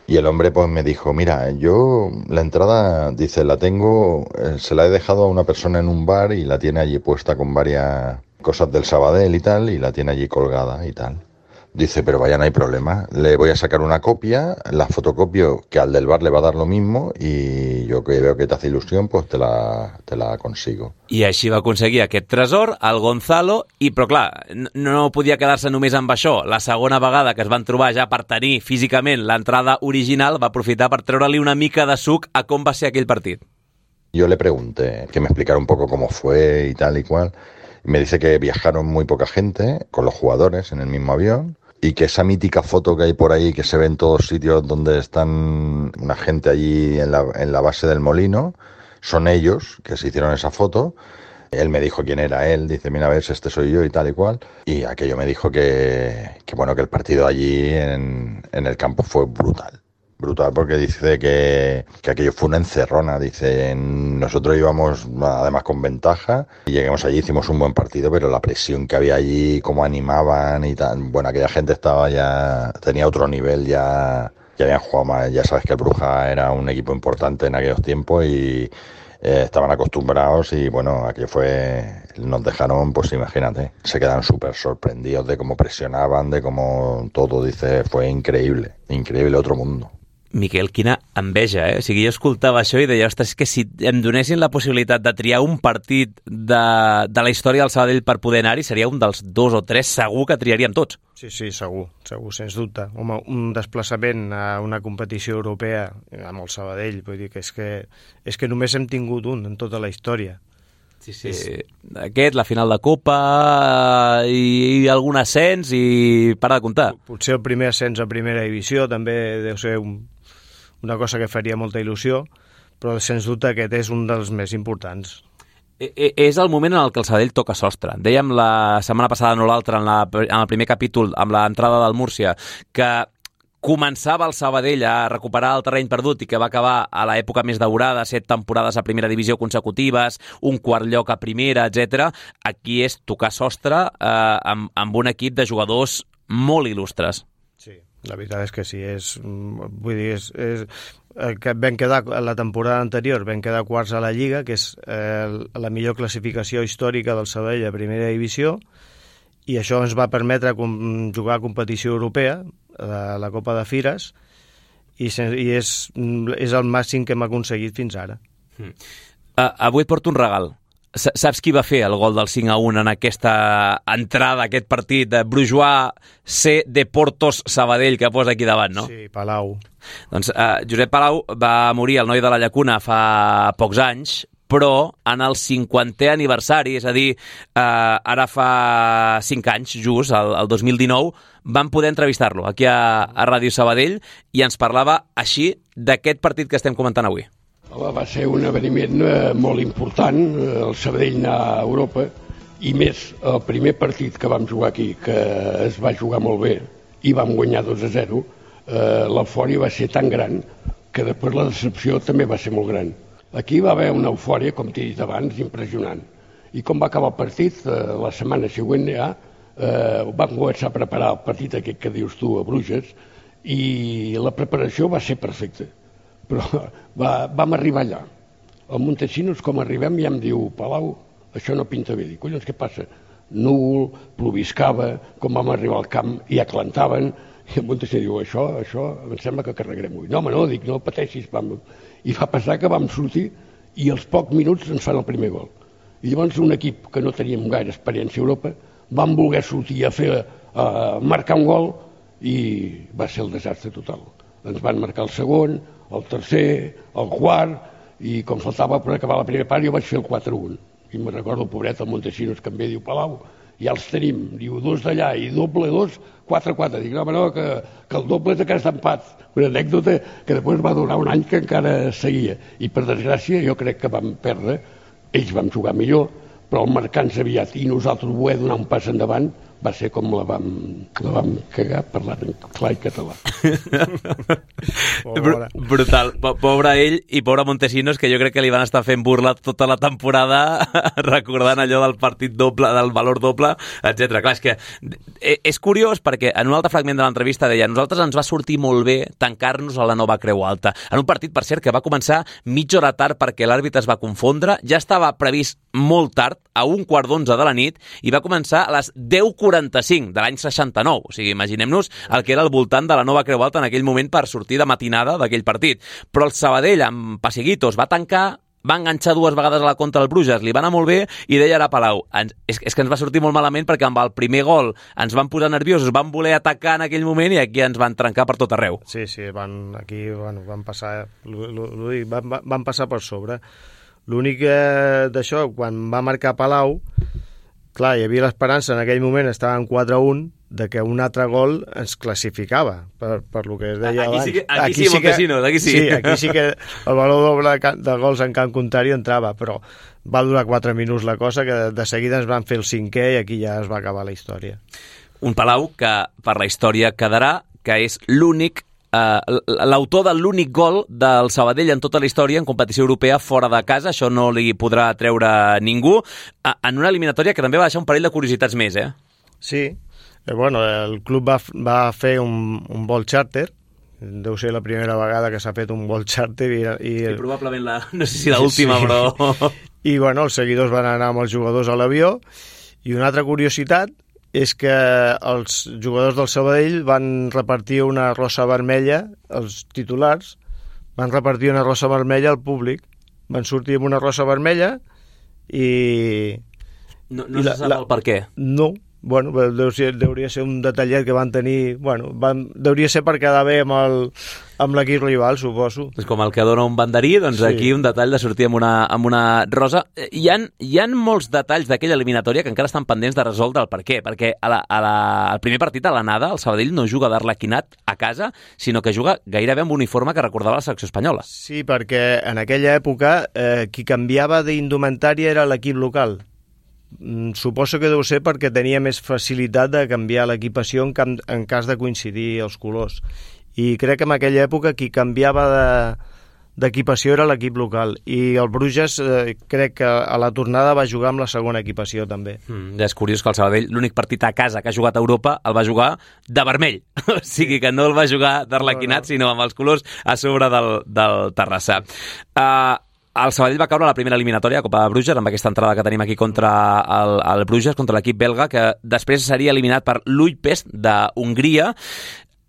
Y el hombre pues me dijo: mira, yo la entrada, dice, la tengo, eh, se la he dejado a una persona en un bar y la tiene allí puesta con varias cosas del Sabadell y tal, y la tiene allí colgada y tal. Dice, pero vaya, no hay problema, le voy a sacar una copia, la fotocopio, que al del bar le va a dar lo mismo, y yo que veo que te hace ilusión, pues te la, te la consigo. I així va aconseguir aquest tresor, el Gonzalo, i però clar, no podia quedar-se només amb això. La segona vegada que es van trobar ja per tenir físicament l'entrada original, va aprofitar per treure-li una mica de suc a com va ser aquell partit. Yo le pregunté que me explicara un poco cómo fue y tal y cual. Me dice que viajaron muy poca gente con los jugadores en el mismo avión y que esa mítica foto que hay por ahí, que se ve en todos sitios donde están una gente allí en la, en la base del molino, son ellos que se hicieron esa foto. Él me dijo quién era él, dice, mira, a ver si este soy yo y tal y cual. Y aquello me dijo que, que bueno, que el partido allí en, en el campo fue brutal. Brutal, porque dice que, que aquello fue una encerrona. Dice, nosotros íbamos además con ventaja y llegamos allí, hicimos un buen partido, pero la presión que había allí, cómo animaban y tal, bueno, aquella gente estaba ya, tenía otro nivel, ya, ya habían jugado más. Ya sabes que el Bruja era un equipo importante en aquellos tiempos y eh, estaban acostumbrados y bueno, aquello fue, nos dejaron, pues imagínate, se quedaron súper sorprendidos de cómo presionaban, de cómo todo, dice, fue increíble, increíble, otro mundo. Miquel, quina enveja, eh? O sigui, jo escoltava això i deia, ostres, que si em donessin la possibilitat de triar un partit de, de la història del Sabadell per poder anar-hi, seria un dels dos o tres segur que triaríem tots. Sí, sí, segur, segur, sens dubte. Home, un desplaçament a una competició europea amb el Sabadell, vull dir que és que, és que només hem tingut un en tota la història. Sí, sí. És... Aquest, la final de Copa i, i algun ascens i para de comptar. Potser el primer ascens a primera divisió també deu ser un, una cosa que faria molta il·lusió, però sens dubte aquest és un dels més importants. És el moment en el que el Sabadell toca sostre. Dèiem la setmana passada, no l'altra, en, la, en el primer capítol, amb l'entrada del Múrcia, que començava el Sabadell a recuperar el terreny perdut i que va acabar a l'època més daurada, set temporades a primera divisió consecutives, un quart lloc a primera, etcètera. Aquí és tocar sostre eh, amb, amb un equip de jugadors molt il·lustres. Sí, la veritat és que sí. És, vull dir, és, és, que vam quedar, la temporada anterior vam quedar quarts a la Lliga, que és eh, la millor classificació històrica del Sabadell a primera divisió, i això ens va permetre com, jugar a competició europea, a la Copa de Fires, i, i és, és el màxim que hem aconseguit fins ara. Mm. Uh, avui et porto un regal. S Saps qui va fer el gol del cinc a un en aquesta entrada, aquest partit de Brujois C. Deportos Sabadell, que posa aquí davant, no? Sí, Palau. Doncs uh, Josep Palau va morir, el noi de la Llacuna, fa pocs anys, però en el cinquantè aniversari, és a dir, eh, ara fa cinc anys, just, el, el dos mil dinou, vam poder entrevistar-lo aquí a, a Ràdio Sabadell i ens parlava així d'aquest partit que estem comentant avui. Va ser un esdeveniment eh, molt important, el Sabadell anar a Europa, i més el primer partit que vam jugar aquí, que es va jugar molt bé i vam guanyar dos a zero, eh, l'eufòria va ser tan gran que després la decepció també va ser molt gran. Aquí va haver una eufòria, com t'he dit abans, impressionant. I com va acabar el partit, eh, la setmana següent ja, eh, vam començar a preparar el partit aquest que dius tu a Bruges, i la preparació va ser perfecta. Però va, vam arribar allà. Al Montesinos, com arribem, ja em diu, Palau, això no pinta bé. Dic, collons, què passa? Núvol, ploviscava, com vam arribar al camp, i aclantaven, i el Montesinos diu, això, això, em sembla que carregarem avui. No, home, no, dic, no pateixis, vam... I va passar que vam sortir i als pocs minuts ens fan el primer gol. I llavors un equip que no teníem gaire experiència a Europa vam voler sortir a fer a marcar un gol i va ser el desastre total. Ens van marcar el segon, el tercer, el quart i com faltava per acabar la primera part jo vaig fer el quatre a un. I me'n recordo el pobret el Montesinos que em ve, diu, Palau, ja els tenim, diu, dos d'allà i doble dos, quatre a quatre. Dic, no, no, que, que el doble és aquest empat. Una anècdota que després va durar un any que encara seguia. I per desgràcia jo crec que vam perdre, ells vam jugar millor, però el marcant aviat i nosaltres voler donar un pas endavant va ser com la vam, la vam cagar parlant en clar i català. Br brutal. Pobre ell i pobre Montesinos, que jo crec que li van estar fent burla tota la temporada recordant allò del partit doble, del valor doble, etcètera. Clar, és que és curiós perquè en un altre fragment de l'entrevista deia nosaltres ens va sortir molt bé tancar-nos a la nova Creu Alta. En un partit, per cert, que va començar mitja hora tard perquè l'àrbitre es va confondre, ja estava previst molt tard, a un quart d'onze de la nit, i va començar a les deu quaranta-cinc de l'any seixanta-nou. O sigui, imaginem-nos el que era al voltant de la nova Creu Alta en aquell moment per sortir de matinada d'aquell partit. Però el Sabadell, amb Passeguitos, va tancar, va enganxar dues vegades a la contra el Bruges, li va anar molt bé i deia ara Palau, ens, és, és que ens va sortir molt malament perquè amb el primer gol ens van posar nerviosos, van voler atacar en aquell moment i aquí ens van trencar per tot arreu. Sí, sí, van, aquí bueno, van passar van, van passar per sobre. L'únic eh, d'això, quan va marcar Palau, clar, hi havia l'esperança, en aquell moment estàvem quatre a un, de que un altre gol ens classificava, per, per lo que es deia aquí abans. Sí que, aquí, aquí sí, sí Montesinos, aquí sí. Sí, aquí sí que el valor doble de gols en camp contrari entrava, però va durar quatre minuts la cosa, que de seguida ens van fer el cinquè i aquí ja es va acabar la història. Un Palau que per la història quedarà que és l'únic Uh, l'autor de l'únic gol del Sabadell en tota la història en competició europea fora de casa, això no li podrà treure ningú, uh, en una eliminatòria que també va deixar un parell de curiositats més, eh? Sí, eh, bueno, el club va, va fer un, un vol charter, deu ser la primera vegada que s'ha fet un vol charter i, i, i probablement la, no sé si l'última, sí. Però... I bueno, els seguidors van anar amb els jugadors a l'avió i una altra curiositat és que els jugadors del Sabadell van repartir una rosa vermella, els titulars, van repartir una rosa vermella al públic. Van sortir amb una rosa vermella i... No, no i la, se sap la, el per què? No, bueno, deu ser, deuria ser un detallet que van tenir... Bueno, van, deuria ser per quedar bé amb el, amb l'equip rival, suposo. És com el que dona un banderí, doncs sí. Aquí un detall de sortir amb una, amb una rosa. Hi ha, hi ha molts detalls d'aquella eliminatòria que encara estan pendents de resoldre el per què, perquè a la, a la, al primer partit a l'anada el Sabadell no juga d'Arlequinat a casa, sinó que juga gairebé amb un uniforme que recordava la selecció espanyola. Sí, perquè en aquella època eh, qui canviava d'indumentària era l'equip local. Suposo que deu ser perquè tenia més facilitat de canviar l'equipació en, en cas de coincidir els colors. i crec que en aquella època qui canviava de d'equipació era l'equip local, i el Bruges eh, crec que a la tornada va jugar amb la segona equipació també. Mm, ja és curiós que el Sabadell, l'únic partit a casa que ha jugat a Europa, el va jugar de vermell, o sigui que no el va jugar d'arlequinat, no, no. sinó amb els colors a sobre del, del Terrassa. Uh, el Sabadell va caure a la primera eliminatòria a Copa de Bruges, amb aquesta entrada que tenim aquí contra el, el Bruges, contra l'equip belga, que després seria eliminat per l'Újpest d'Hongria.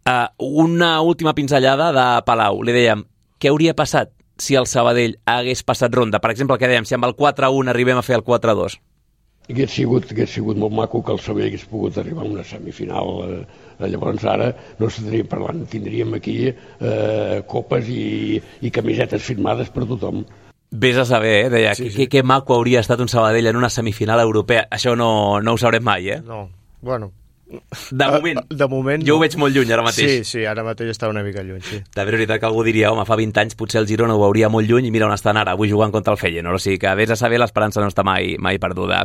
Uh, una última pinzellada de Palau, li dèiem, què hauria passat si el Sabadell hagués passat ronda? Per exemple, el que dèiem, si amb el quatre a un arribem a fer el quatre a dos. Hagués sigut, hagués sigut molt maco que el Sabadell hagués pogut arribar a una semifinal. Eh, llavors ara no estaríem parlant, tindríem aquí eh, copes i, i camisetes firmades per tothom. Vés a saber, eh? Deia, sí, sí. Que, que maco hauria estat un Sabadell en una semifinal europea. Això no, no ho sabrem mai, eh? No, bueno... De moment, de moment jo no. ho veig molt lluny ara mateix. Sí, sí, ara mateix està una mica lluny, sí. De veritat que algú diria, home, fa vint anys potser el Girona ho veuria molt lluny i mira on estan ara, avui jugant contra el Feyenoord, o sigui que vés a saber, l'esperança no està mai, mai perduda.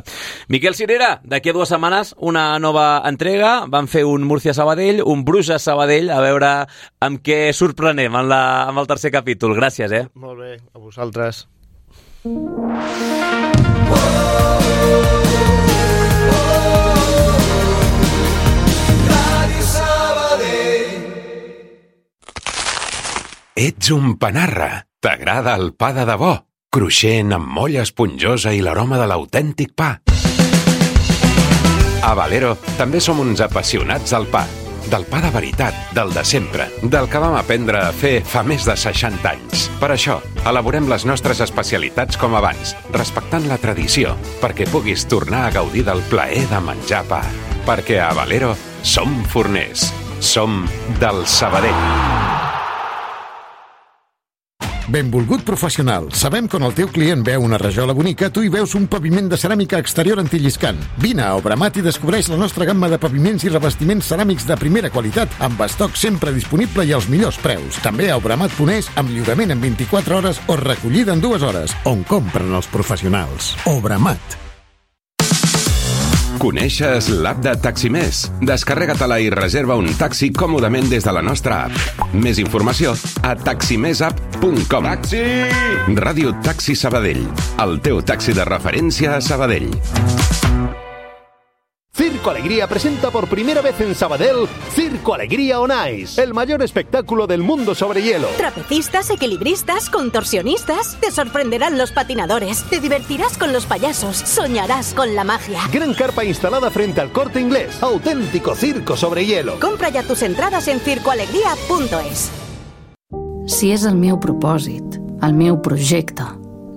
Miquel Cirera, d'aquí a dues setmanes una nova entrega, van fer un Múrcia-Sabadell, un Bruges-Sabadell, a veure amb què sorprenem en, la, en el tercer capítol. Gràcies, eh? Molt bé, a vosaltres. Ets un panarra. T'agrada el pa de debò, cruixent amb molla esponjosa i l'aroma de l'autèntic pa. A Valero també som uns apassionats del pa. Del pa de veritat, del de sempre, del que vam aprendre a fer fa més de seixanta anys. Per això, elaborem les nostres especialitats com abans, respectant la tradició, perquè puguis tornar a gaudir del plaer de menjar pa. Perquè a Valero som forners. Som del Sabadell. Benvolgut professional. Sabem que on el teu client veu una rajola bonica, tu hi veus un paviment de ceràmica exterior antilliscant. Vine a Obramat i descobreix la nostra gamma de paviments i revestiments ceràmics de primera qualitat, amb estoc sempre disponible i als millors preus. També a obramat punt es, amb lliurament en vint-i-quatre hores o recollida en dues hores, on compren els professionals. Obramat. Coneixes l'app de Taximés? Descarrega-te-la i reserva un taxi còmodament des de la nostra app. Més informació a taximés app punt com. Taxi! Ràdio Taxi Sabadell, el teu taxi de referència a Sabadell. Circo Alegría presenta por primera vez en Sabadell Circo Alegría on Ice, el mayor espectáculo del mundo sobre hielo. Trapecistas, equilibristas, contorsionistas. Te sorprenderán los patinadores. Te divertirás con los payasos. Soñarás con la magia. Gran carpa instalada frente al Corte Inglés. Auténtico circo sobre hielo. Compra ya tus entradas en circo alegría punto es. Si és el meu propòsit, el meu projecte,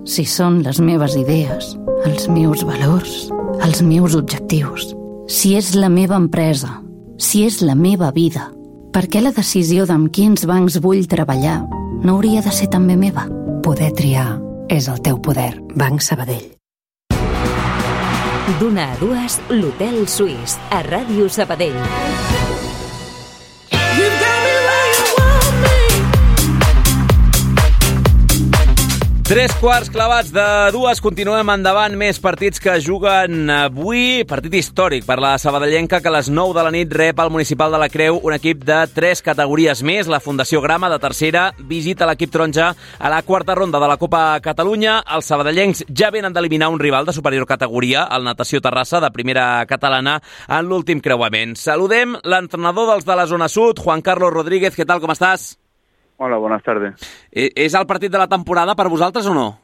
si són les meves idees, els meus valors, els meus objectius, si és la meva empresa, si és la meva vida, per què la decisió d'amb quins bancs vull treballar no hauria de ser també meva? Poder triar és el teu poder. Banc Sabadell. D'una a dues, l'Hotel Suís, a Ràdio Sabadell. Tres quarts clavats de dues, continuem endavant, més partits que juguen avui, partit històric per la sabadellenca que a les nou de la nit rep al Municipal de la Creu un equip de tres categories més, la Fundació Grama de tercera visita l'equip taronja a la quarta ronda de la Copa Catalunya. Els sabadellencs ja venen d'eliminar un rival de superior categoria, el Natació Terrassa de primera catalana, en l'últim creuament. Saludem l'entrenador dels de la zona sud, Juan Carlos Rodríguez. ¿Qué tal, com estàs? Hola, buenas tardes. ¿Es el partido de la temporada para vosotros o no?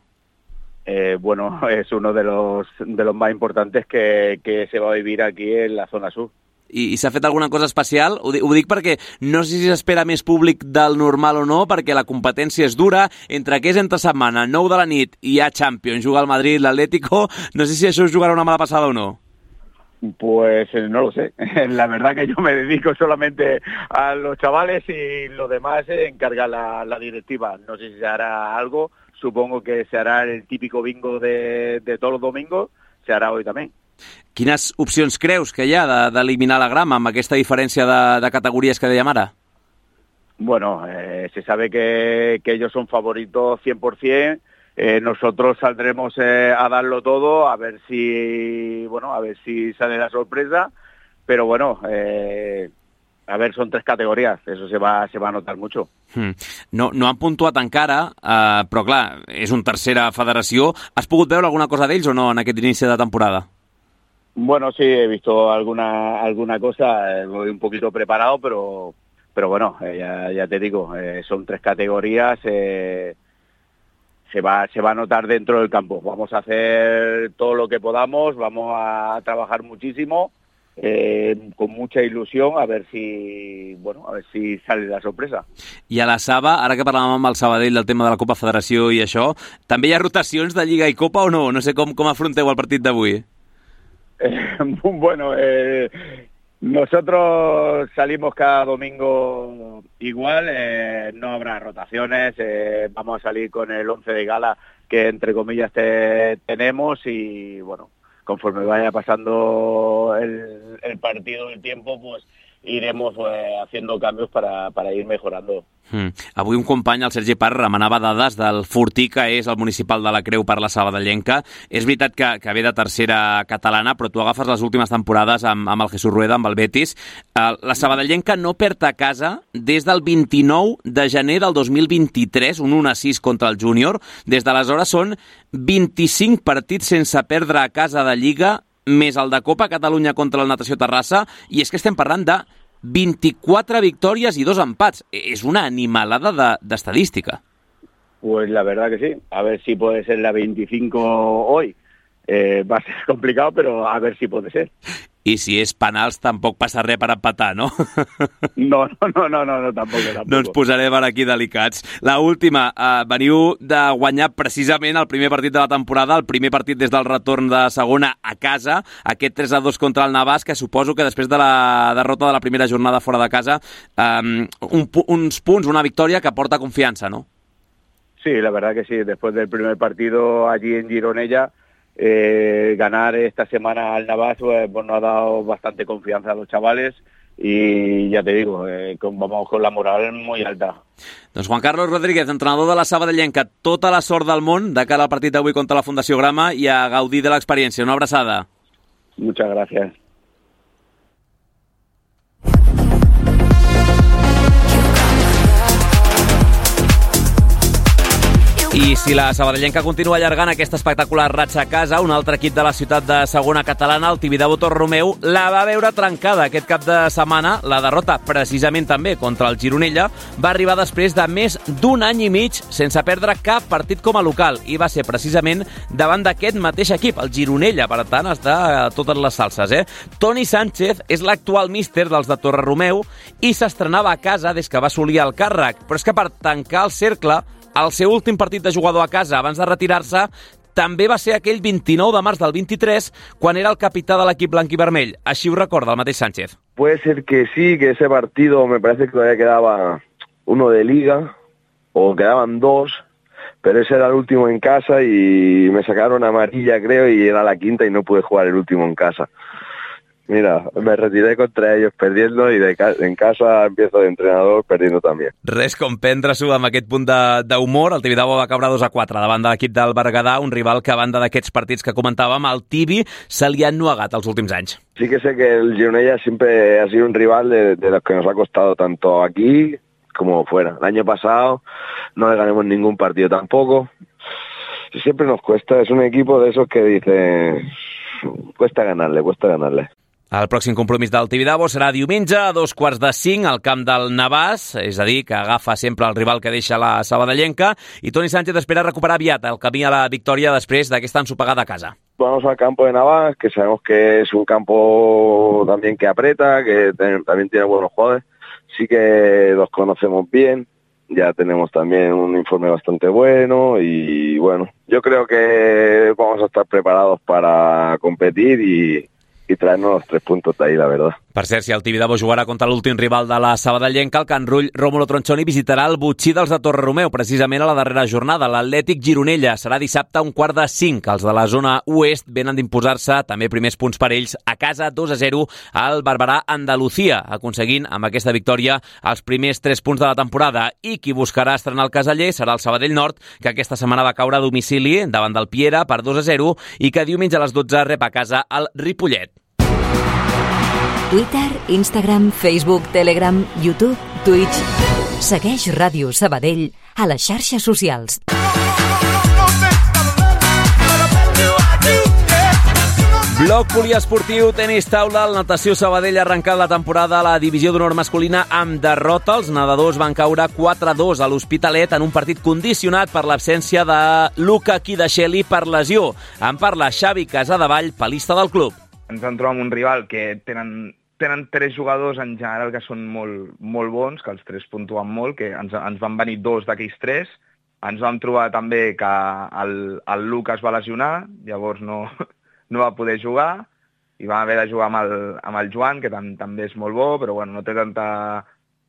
Eh, bueno, es uno de los de los más importantes que, que se va a vivir aquí en la zona sur. I, i s'ha fet alguna cosa especial? Ho, ho dic perquè no sé si s'espera més públic del normal o no, perquè la competència és dura, entre que és entre setmana, nou de la nit, i hi ha Champions, juga el Madrid, l'Atlético, no sé si això us jugarà una mala passada o no. Pues no lo sé. La verdad que yo me dedico solamente a los chavales y lo demás se encarga la, la directiva. No sé si se hará algo. Supongo que se hará el típico bingo de, de todos los domingos. Se hará hoy también. Quines opcions creus que hi ha d'eliminar la Grama amb aquesta diferència de, de categories que dèiem ara? Bueno, eh, se sabe que, que ellos son favoritos cien por ciento. Eh, nosotros saldremos eh, a darlo todo, a ver si, bueno, a ver si sale la sorpresa, pero bueno, eh, a ver, son tres categorías, eso se va, se va a notar mucho. Mm. No, no han puntuat encara, eh, però clar, és una tercera federació. Has pogut veure alguna cosa d'ells o no en aquest inici de temporada? Bueno, sí, he visto alguna alguna cosa, eh, voy un poquito preparado, pero pero bueno, eh, ya, ya te digo, eh, son tres categorías, eh, se va se va a notar dentro del campo. Vamos a hacer todo lo que podamos, vamos a trabajar muchísimo, eh, con mucha ilusión, a ver si bueno, a ver si sale la sorpresa. I a la Saba, ara que parlàvem amb el Sabadell del tema de la Copa Federació i això, també hi ha rotacions de Lliga i Copa o no? No sé com, com afronteu el partit d'avui. Eh, bueno, eh, nosotros salimos cada domingo igual, eh, no habrá rotaciones, eh, vamos a salir con el once de gala que entre comillas te, tenemos y bueno, conforme vaya pasando el, el partido, el tiempo, pues iremos eh, haciendo cambios para, para ir mejorando. Mm. Avui un company, el Sergi Parra, remenava dades del Fortí, que és el municipal de la Creu per la Sabadellenca. És veritat que, que ve de tercera catalana, però tu agafes les últimes temporades amb, amb el Jesús Rueda, amb el Betis. Uh, la Sabadellenca no perd a casa des del vint-i-nou de gener del dos mil vint-i-tres, un un a sis contra el Júnior. Des d'aleshores són vint-i-cinc partits sense perdre a casa de Lliga, més el de Copa Catalunya contra el Natació Terrassa, i és que estem parlant de veinticuatro victorias y dos empats. Es una animalada de, de estadística. Pues la verdad que sí. A ver si puede ser la veinticinco hoy. Eh, va a ser complicado, pero a ver si puede ser. I si és penals tampoc passa res per empatar, no? No, no, no, no, no, no tampoc, tampoc. No ens posarem per aquí delicats. La última, eh, veniu de guanyar precisament el primer partit de la temporada, el primer partit des del retorn de segona a casa, aquest tres a dos contra el Navàs, que suposo que després de la derrota de la primera jornada fora de casa, eh, un, uns punts, una victòria que porta confiança, no? Sí, la verdad que sí. Después del primer partido allí en Gironella, Eh, ganar esta semana al Navàs pues, pues nos ha dado bastante confianza a los chavales y ya te digo, eh, con, vamos con la moral muy alta. Doncs Juan Carlos Rodríguez, entrenador de la Sabadellenca, tota la sort del món de cara al partit d'avui contra la Fundació Grama i a gaudir de l'experiència. Una abraçada. Muchas gracias. I si la Sabadellenca continua allargant aquesta espectacular ratxa a casa, un altre equip de la ciutat de segona catalana, el Tibidabo Torromeu, la va veure trencada aquest cap de setmana. La derrota, precisament també contra el Gironella, va arribar després de més d'un any i mig sense perdre cap partit com a local, i va ser precisament davant d'aquest mateix equip, el Gironella. Per tant, està a totes les salses, eh? Toni Sánchez és l'actual míster dels de Torreromeu i s'estrenava a casa des que va assolir el càrrec, però és que per tancar el cercle, el seu últim partit de jugador a casa abans de retirar-se també va ser aquell vint-i-nou de març del vint-i-tres, quan era el capità de l'equip blanc i vermell. Així ho recorda el mateix Sánchez. Puede ser que sí, que ese partido me parece que todavía quedaba uno de liga, o quedaban dos, pero ese era el último en casa y me sacaron amarilla, creo, y era la quinta y no pude jugar el último en casa. Mira, me retiré contra ellos perdiendo y de ca en casa empiezo de entrenador perdiendo també. Res com prendre-s'ho amb aquest punt d'humor. El Tibidabo va caure dos a quatre davant de l'equip del Berguedà, un rival que a banda d'aquests partits que comentàvem, el Tibi se li ha ennuegat els últims anys. Sí que sé que el Gironella siempre ha sido un rival de, de los que nos ha costado tanto aquí como fuera. El año pasado no le ganamos ningún partido tampoco. Siempre nos cuesta, es un equipo de esos que dice cuesta ganarle, cuesta ganarle. El pròxim compromís del Tibidabo serà diumenge a dos quarts de cinc al camp del Navàs, és a dir, que agafa sempre el rival que deixa la Sabadellenca, i Toni Sánchez espera recuperar aviat el camí a la victòria després d'aquesta ensopegada a casa. Vamos al campo de Navàs, que sabemos que es un campo también que aprieta, que también tiene buenos jugadores, sí que los conocemos bien, ya tenemos también un informe bastante bueno y bueno, yo creo que vamos a estar preparados para competir y i traernos los tres puntos de ahí, la verdad. Per cert, si el Tibidabo jugarà contra l'últim rival de la Sabadellenca, el Can Rull Rómulo Tronchoni visitarà el Botxí dels de Torreromeu, precisament a la darrera jornada, l'Atlètic Gironella. Serà dissabte a un quart de cinc. Els de la zona oest venen d'imposar-se també primers punts per ells a casa, dos a zero al Barberà Andalucía, aconseguint amb aquesta victòria els primers tres punts de la temporada. I qui buscarà estrenar el caseller serà el Sabadell Nord, que aquesta setmana va caure a domicili davant del Piera per dos a zero i que diumenge a les dotze rep a casa el Ripollet. Twitter, Instagram, Facebook, Telegram, YouTube, Twitch. Segueix Ràdio Sabadell a les xarxes socials. Bloc poliesportiu, tenis taula, el Natació Sabadell ha arrencat la temporada a la divisió d'honor masculina amb derrota. Els nedadors van caure quatre a dos a l'Hospitalet en un partit condicionat per l'absència de Luca Kidasheli per lesió. En parla Xavi Casadevall, palista del club. Ens vam trobar amb un rival que tenen, tenen tres jugadors en general que són molt, molt bons, que els tres puntuen molt, que ens, ens van venir dos d'aquells tres. Ens vam trobar també que el, el Luca es va lesionar, llavors no... no va poder jugar i va haver de jugar amb el, amb el Joan, que tam, també és molt bo, però bueno, no té tanta,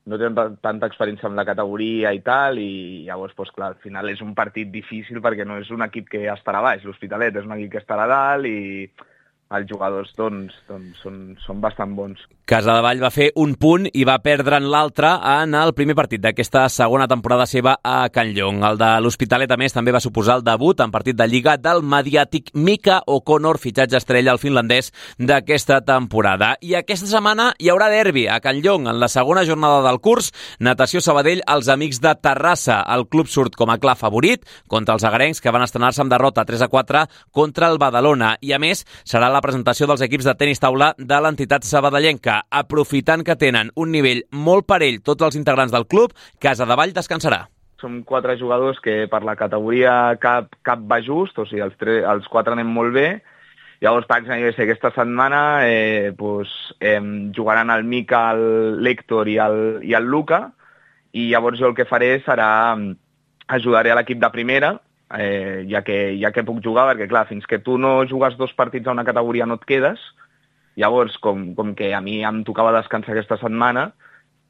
no té tanta, tanta experiència amb la categoria i tal, i llavors, doncs, clar, al final és un partit difícil perquè no és un equip que estarà baix, l'Hospitalet és un equip que estarà dalt i els jugadors doncs, doncs són, són bastant bons. Casadevall va fer un punt i va perdre'n l'altre en el primer partit d'aquesta segona temporada seva a Can Llong. El de l'Hospitalet, a més, també va suposar el debut en partit de Lliga del mediàtic Mika O'Connor, fitxatge estrella al finlandès d'aquesta temporada. I aquesta setmana hi haurà derbi a Can Llong. En la segona jornada del curs, Natació Sabadell, els amics de Terrassa. El club surt com a clar favorit contra els agarencs, que van estrenar-se amb derrota tres a quatre contra el Badalona. I, a més, serà la presentació dels equips de tenis taula de l'entitat sabadellenca. Aprofitant que tenen un nivell molt parell tots els integrants del club, Casadevall descansarà. Som quatre jugadors que per la categoria cap, cap va just, o sigui, els, tres, els quatre anem molt bé. Llavors, per exemple, aquesta setmana eh, pues, eh, jugaran el Mica, l'Héctor i el, i el Luca, i llavors jo el que faré serà ajudaré a l'equip de primera, eh, ja, que, ja que puc jugar, perquè clar, fins que tu no jugues dos partits a una categoria no et quedes. Llavors, com, com que a mi em tocava descansar aquesta setmana,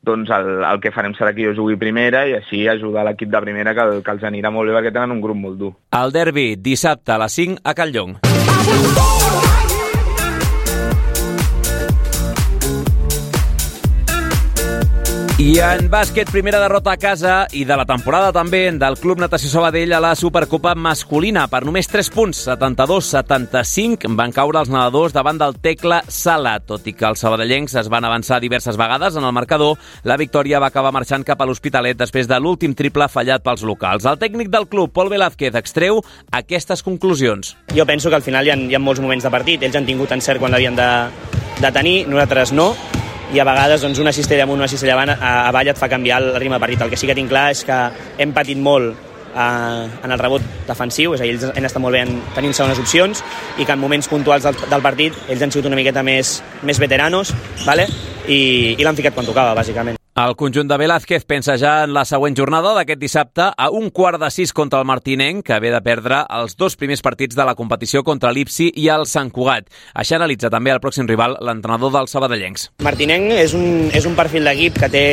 doncs el, el que farem serà que jo jugui primera i així ajudar l'equip de primera, que, que els anirà molt bé perquè tenen un grup molt dur. El derbi, dissabte a les cinc a Can Llong. I en bàsquet, primera derrota a casa i de la temporada també del Club Natació Sabadell a la Supercopa masculina. Per només tres punts, setanta-dos a setanta-cinc, van caure els nedadors davant del Tecla Sala. Tot i que els sabadellencs es van avançar diverses vegades en el marcador, la victòria va acabar marxant cap a l'Hospitalet després de l'últim triple fallat pels locals. El tècnic del club, Pol Velázquez, extreu aquestes conclusions. Jo penso que al final hi ha, hi ha molts moments de partit. Ells han tingut encert quan l'havien de, de tenir, nosaltres no. I a vegades doncs, una cistella amunt, una cistella avant, a, avall et fa canviar el ritme de partit. El que sí que tinc clar és que hem patit molt eh, en el rebot defensiu, és a dir, ells han estat molt bé en tenint segones opcions i que en moments puntuals del, del partit ells han sigut una miqueta més, més veteranos, vale? i, i l'han ficat quan tocava, bàsicament. El conjunt de Velázquez pensa ja en la següent jornada d'aquest dissabte a un quart de sis contra el Martinenc, que ve de perdre els dos primers partits de la competició contra l'Ipsi i el Sant Cugat. Això analitza també el pròxim rival, l'entrenador dels sabadellencs. Martinenc és un, és un perfil d'equip que té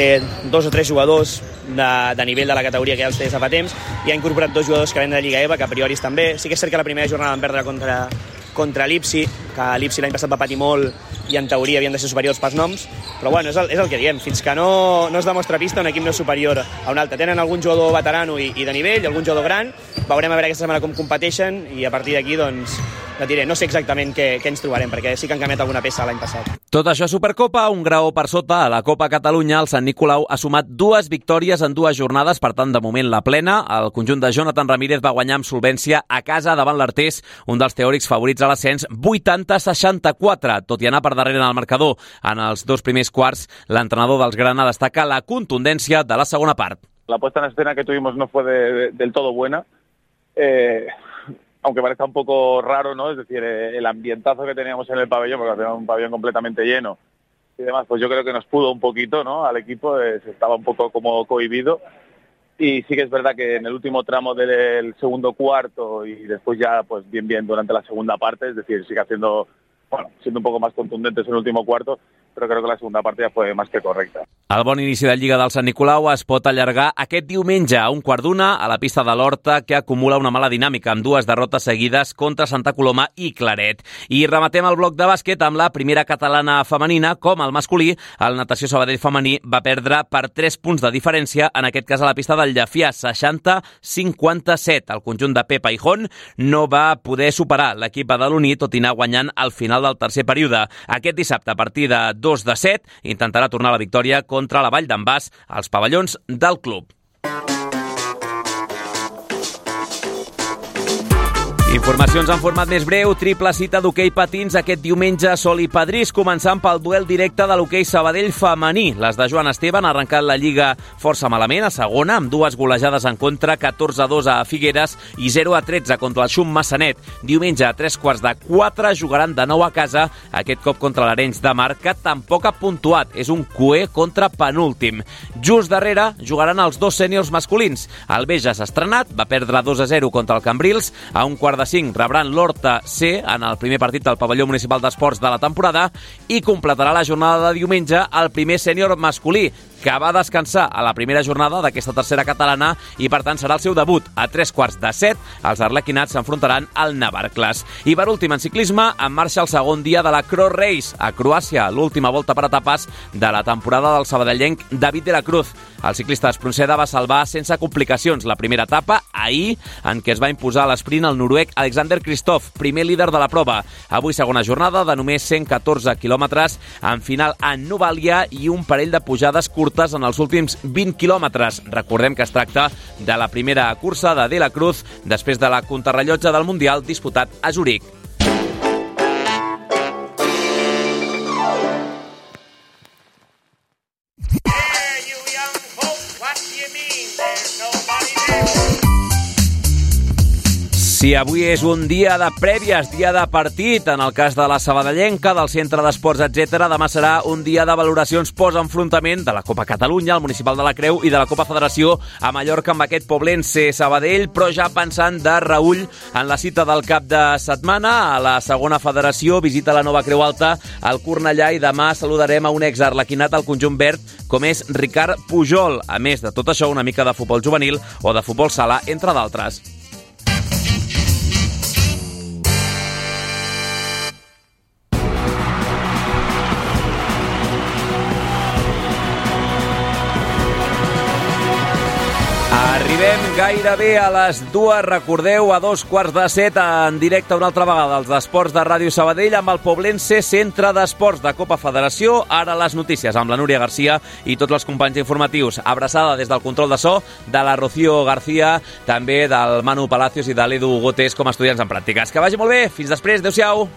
dos o tres jugadors de, de nivell de la categoria que ja els té fa temps i ha incorporat dos jugadors que venen de Lliga E V A, que a priori estan bé. Sí que és cert que la primera jornada van perdre contra, contra l'Ipsi, que l'Ipsi l'any passat va patir molt i en teoria havien de ser superiors pels noms, però bueno, és el, és el que diem, fins que no, no es demostra pista un equip no és superior a un altre. Tenen algun jugador veterano i, i de nivell, algun jugador gran, veurem a veure aquesta setmana com competeixen i a partir d'aquí doncs no diré, no sé exactament què, què ens trobarem, perquè sí que han canviat alguna peça l'any passat. Tot això a Supercopa, un graó per sota. A la Copa Catalunya, el Sant Nicolau ha sumat dues victòries en dues jornades, per tant, de moment la plena. El conjunt de Jonathan Ramírez va guanyar amb solvència a casa davant l'Artés, un dels teòrics favorits a l'ascens, vuitanta a seixanta-quatre, tot i anar per darrere en el marcador. En els dos primers quarts, l'entrenador dels Grana destaca la contundència de la segona part. La puesta en escena que tuvimos no fue de, de, del todo buena. Eh... aunque parezca un poco raro, ¿no? Es decir, el ambientazo que teníamos en el pabellón, porque era un pabellón completamente lleno y demás, pues yo creo que nos pudo un poquito, ¿no? Al equipo, eh, estaba un poco como cohibido. Y sí que es verdad que en el último tramo del segundo cuarto y después ya, pues bien, bien durante la segunda parte, es decir, sigue haciendo, bueno, siendo un poco más contundentes en el último cuarto, però crec que la segunda part ja fue más que correcta. El bon inici de Lliga del Sant Nicolau es pot allargar aquest diumenge a un quart d'una a la pista de l'Horta, que acumula una mala dinàmica amb dues derrotes seguides contra Santa Coloma i Claret. I rematem el bloc de bàsquet amb la primera catalana femenina. Com el masculí, el Natació Sabadell femení va perdre per tres punts de diferència, en aquest cas a la pista del Llefià, seixanta a cinquanta-set. El conjunt de Pepa i Jon no va poder superar l'equip badaloní, tot i anar guanyant al final del tercer període. Aquest dissabte, a partir de dos de set. Intentarà tornar la victòria contra la Vall d'en Bas als pavellons del club. Informacions en format més breu, triple cita d'hoquei patins aquest diumenge a Sol i Padrís, començant pel duel directe de l'hoquei Sabadell femení. Les de Joan Esteve han arrencat la Lliga força malament, a segona, amb dues golejades en contra, catorze a dos a Figueres i zero a tretze contra el Xum Massanet. Diumenge a tres quarts de quatre jugaran de nou a casa, aquest cop contra l'Arenys de Mar, que tampoc ha puntuat. És un cué contra penúltim. Just darrere jugaran els dos sèniors masculins. El Beja s'ha estrenat, va perdre dos a zero contra el Cambrils, a un quart de cinc rebran l'Horta C en el primer partit del pavelló municipal d'esports de la temporada i completarà la jornada de diumenge el primer sènior masculí, que va descansar a la primera jornada d'aquesta tercera catalana i, per tant, serà el seu debut. A tres quarts de set, els arlequinats s'enfrontaran al Navarcles. I, per últim, en ciclisme, en marxa el segon dia de la Cross Race a Croàcia, l'última volta per etapes de la temporada del sabadellenc David de la Cruz. El ciclista Espronceda va salvar sense complicacions la primera etapa ahir, en què es va imposar a l'esprint el noruec Alexander Kristoff, primer líder de la prova. Avui segona jornada de només cent catorze quilòmetres, en final en Novalia i un parell de pujades curtes en els últims vint quilòmetres. Recordem que es tracta de la primera cursa de De la Cruz després de la contrarrellotge del Mundial disputat a Zuric. Si avui és un dia de prèvies, dia de partit, en el cas de la sabadellenca, del centre d'esports, etcètera, demà serà un dia de valoracions post-enfrontament de la Copa Catalunya, el Municipal de la Creu i de la Copa Federació a Mallorca amb aquest Poblense Sabadell, però ja pensant de reüll en la cita del cap de setmana. A la segona federació visita la nova Creu Alta al Cornellà i demà saludarem a un exarlequinat al conjunt verd com és Ricard Pujol. A més de tot això, una mica de futbol juvenil o de futbol sala, entre d'altres. Arribem gairebé a les dues, recordeu, a dos quarts de set, en directe una altra vegada als esports de Ràdio Sabadell amb el Poblense Centre d'Esports de Copa Federació. Ara les notícies amb la Núria Garcia i tots els companys informatius. Abraçada des del control de so de la Rocío García, també del Manu Palacios i de l'Edu Gotes com a estudiants en pràctiques. Que vagi molt bé, fins després, adeu-siau.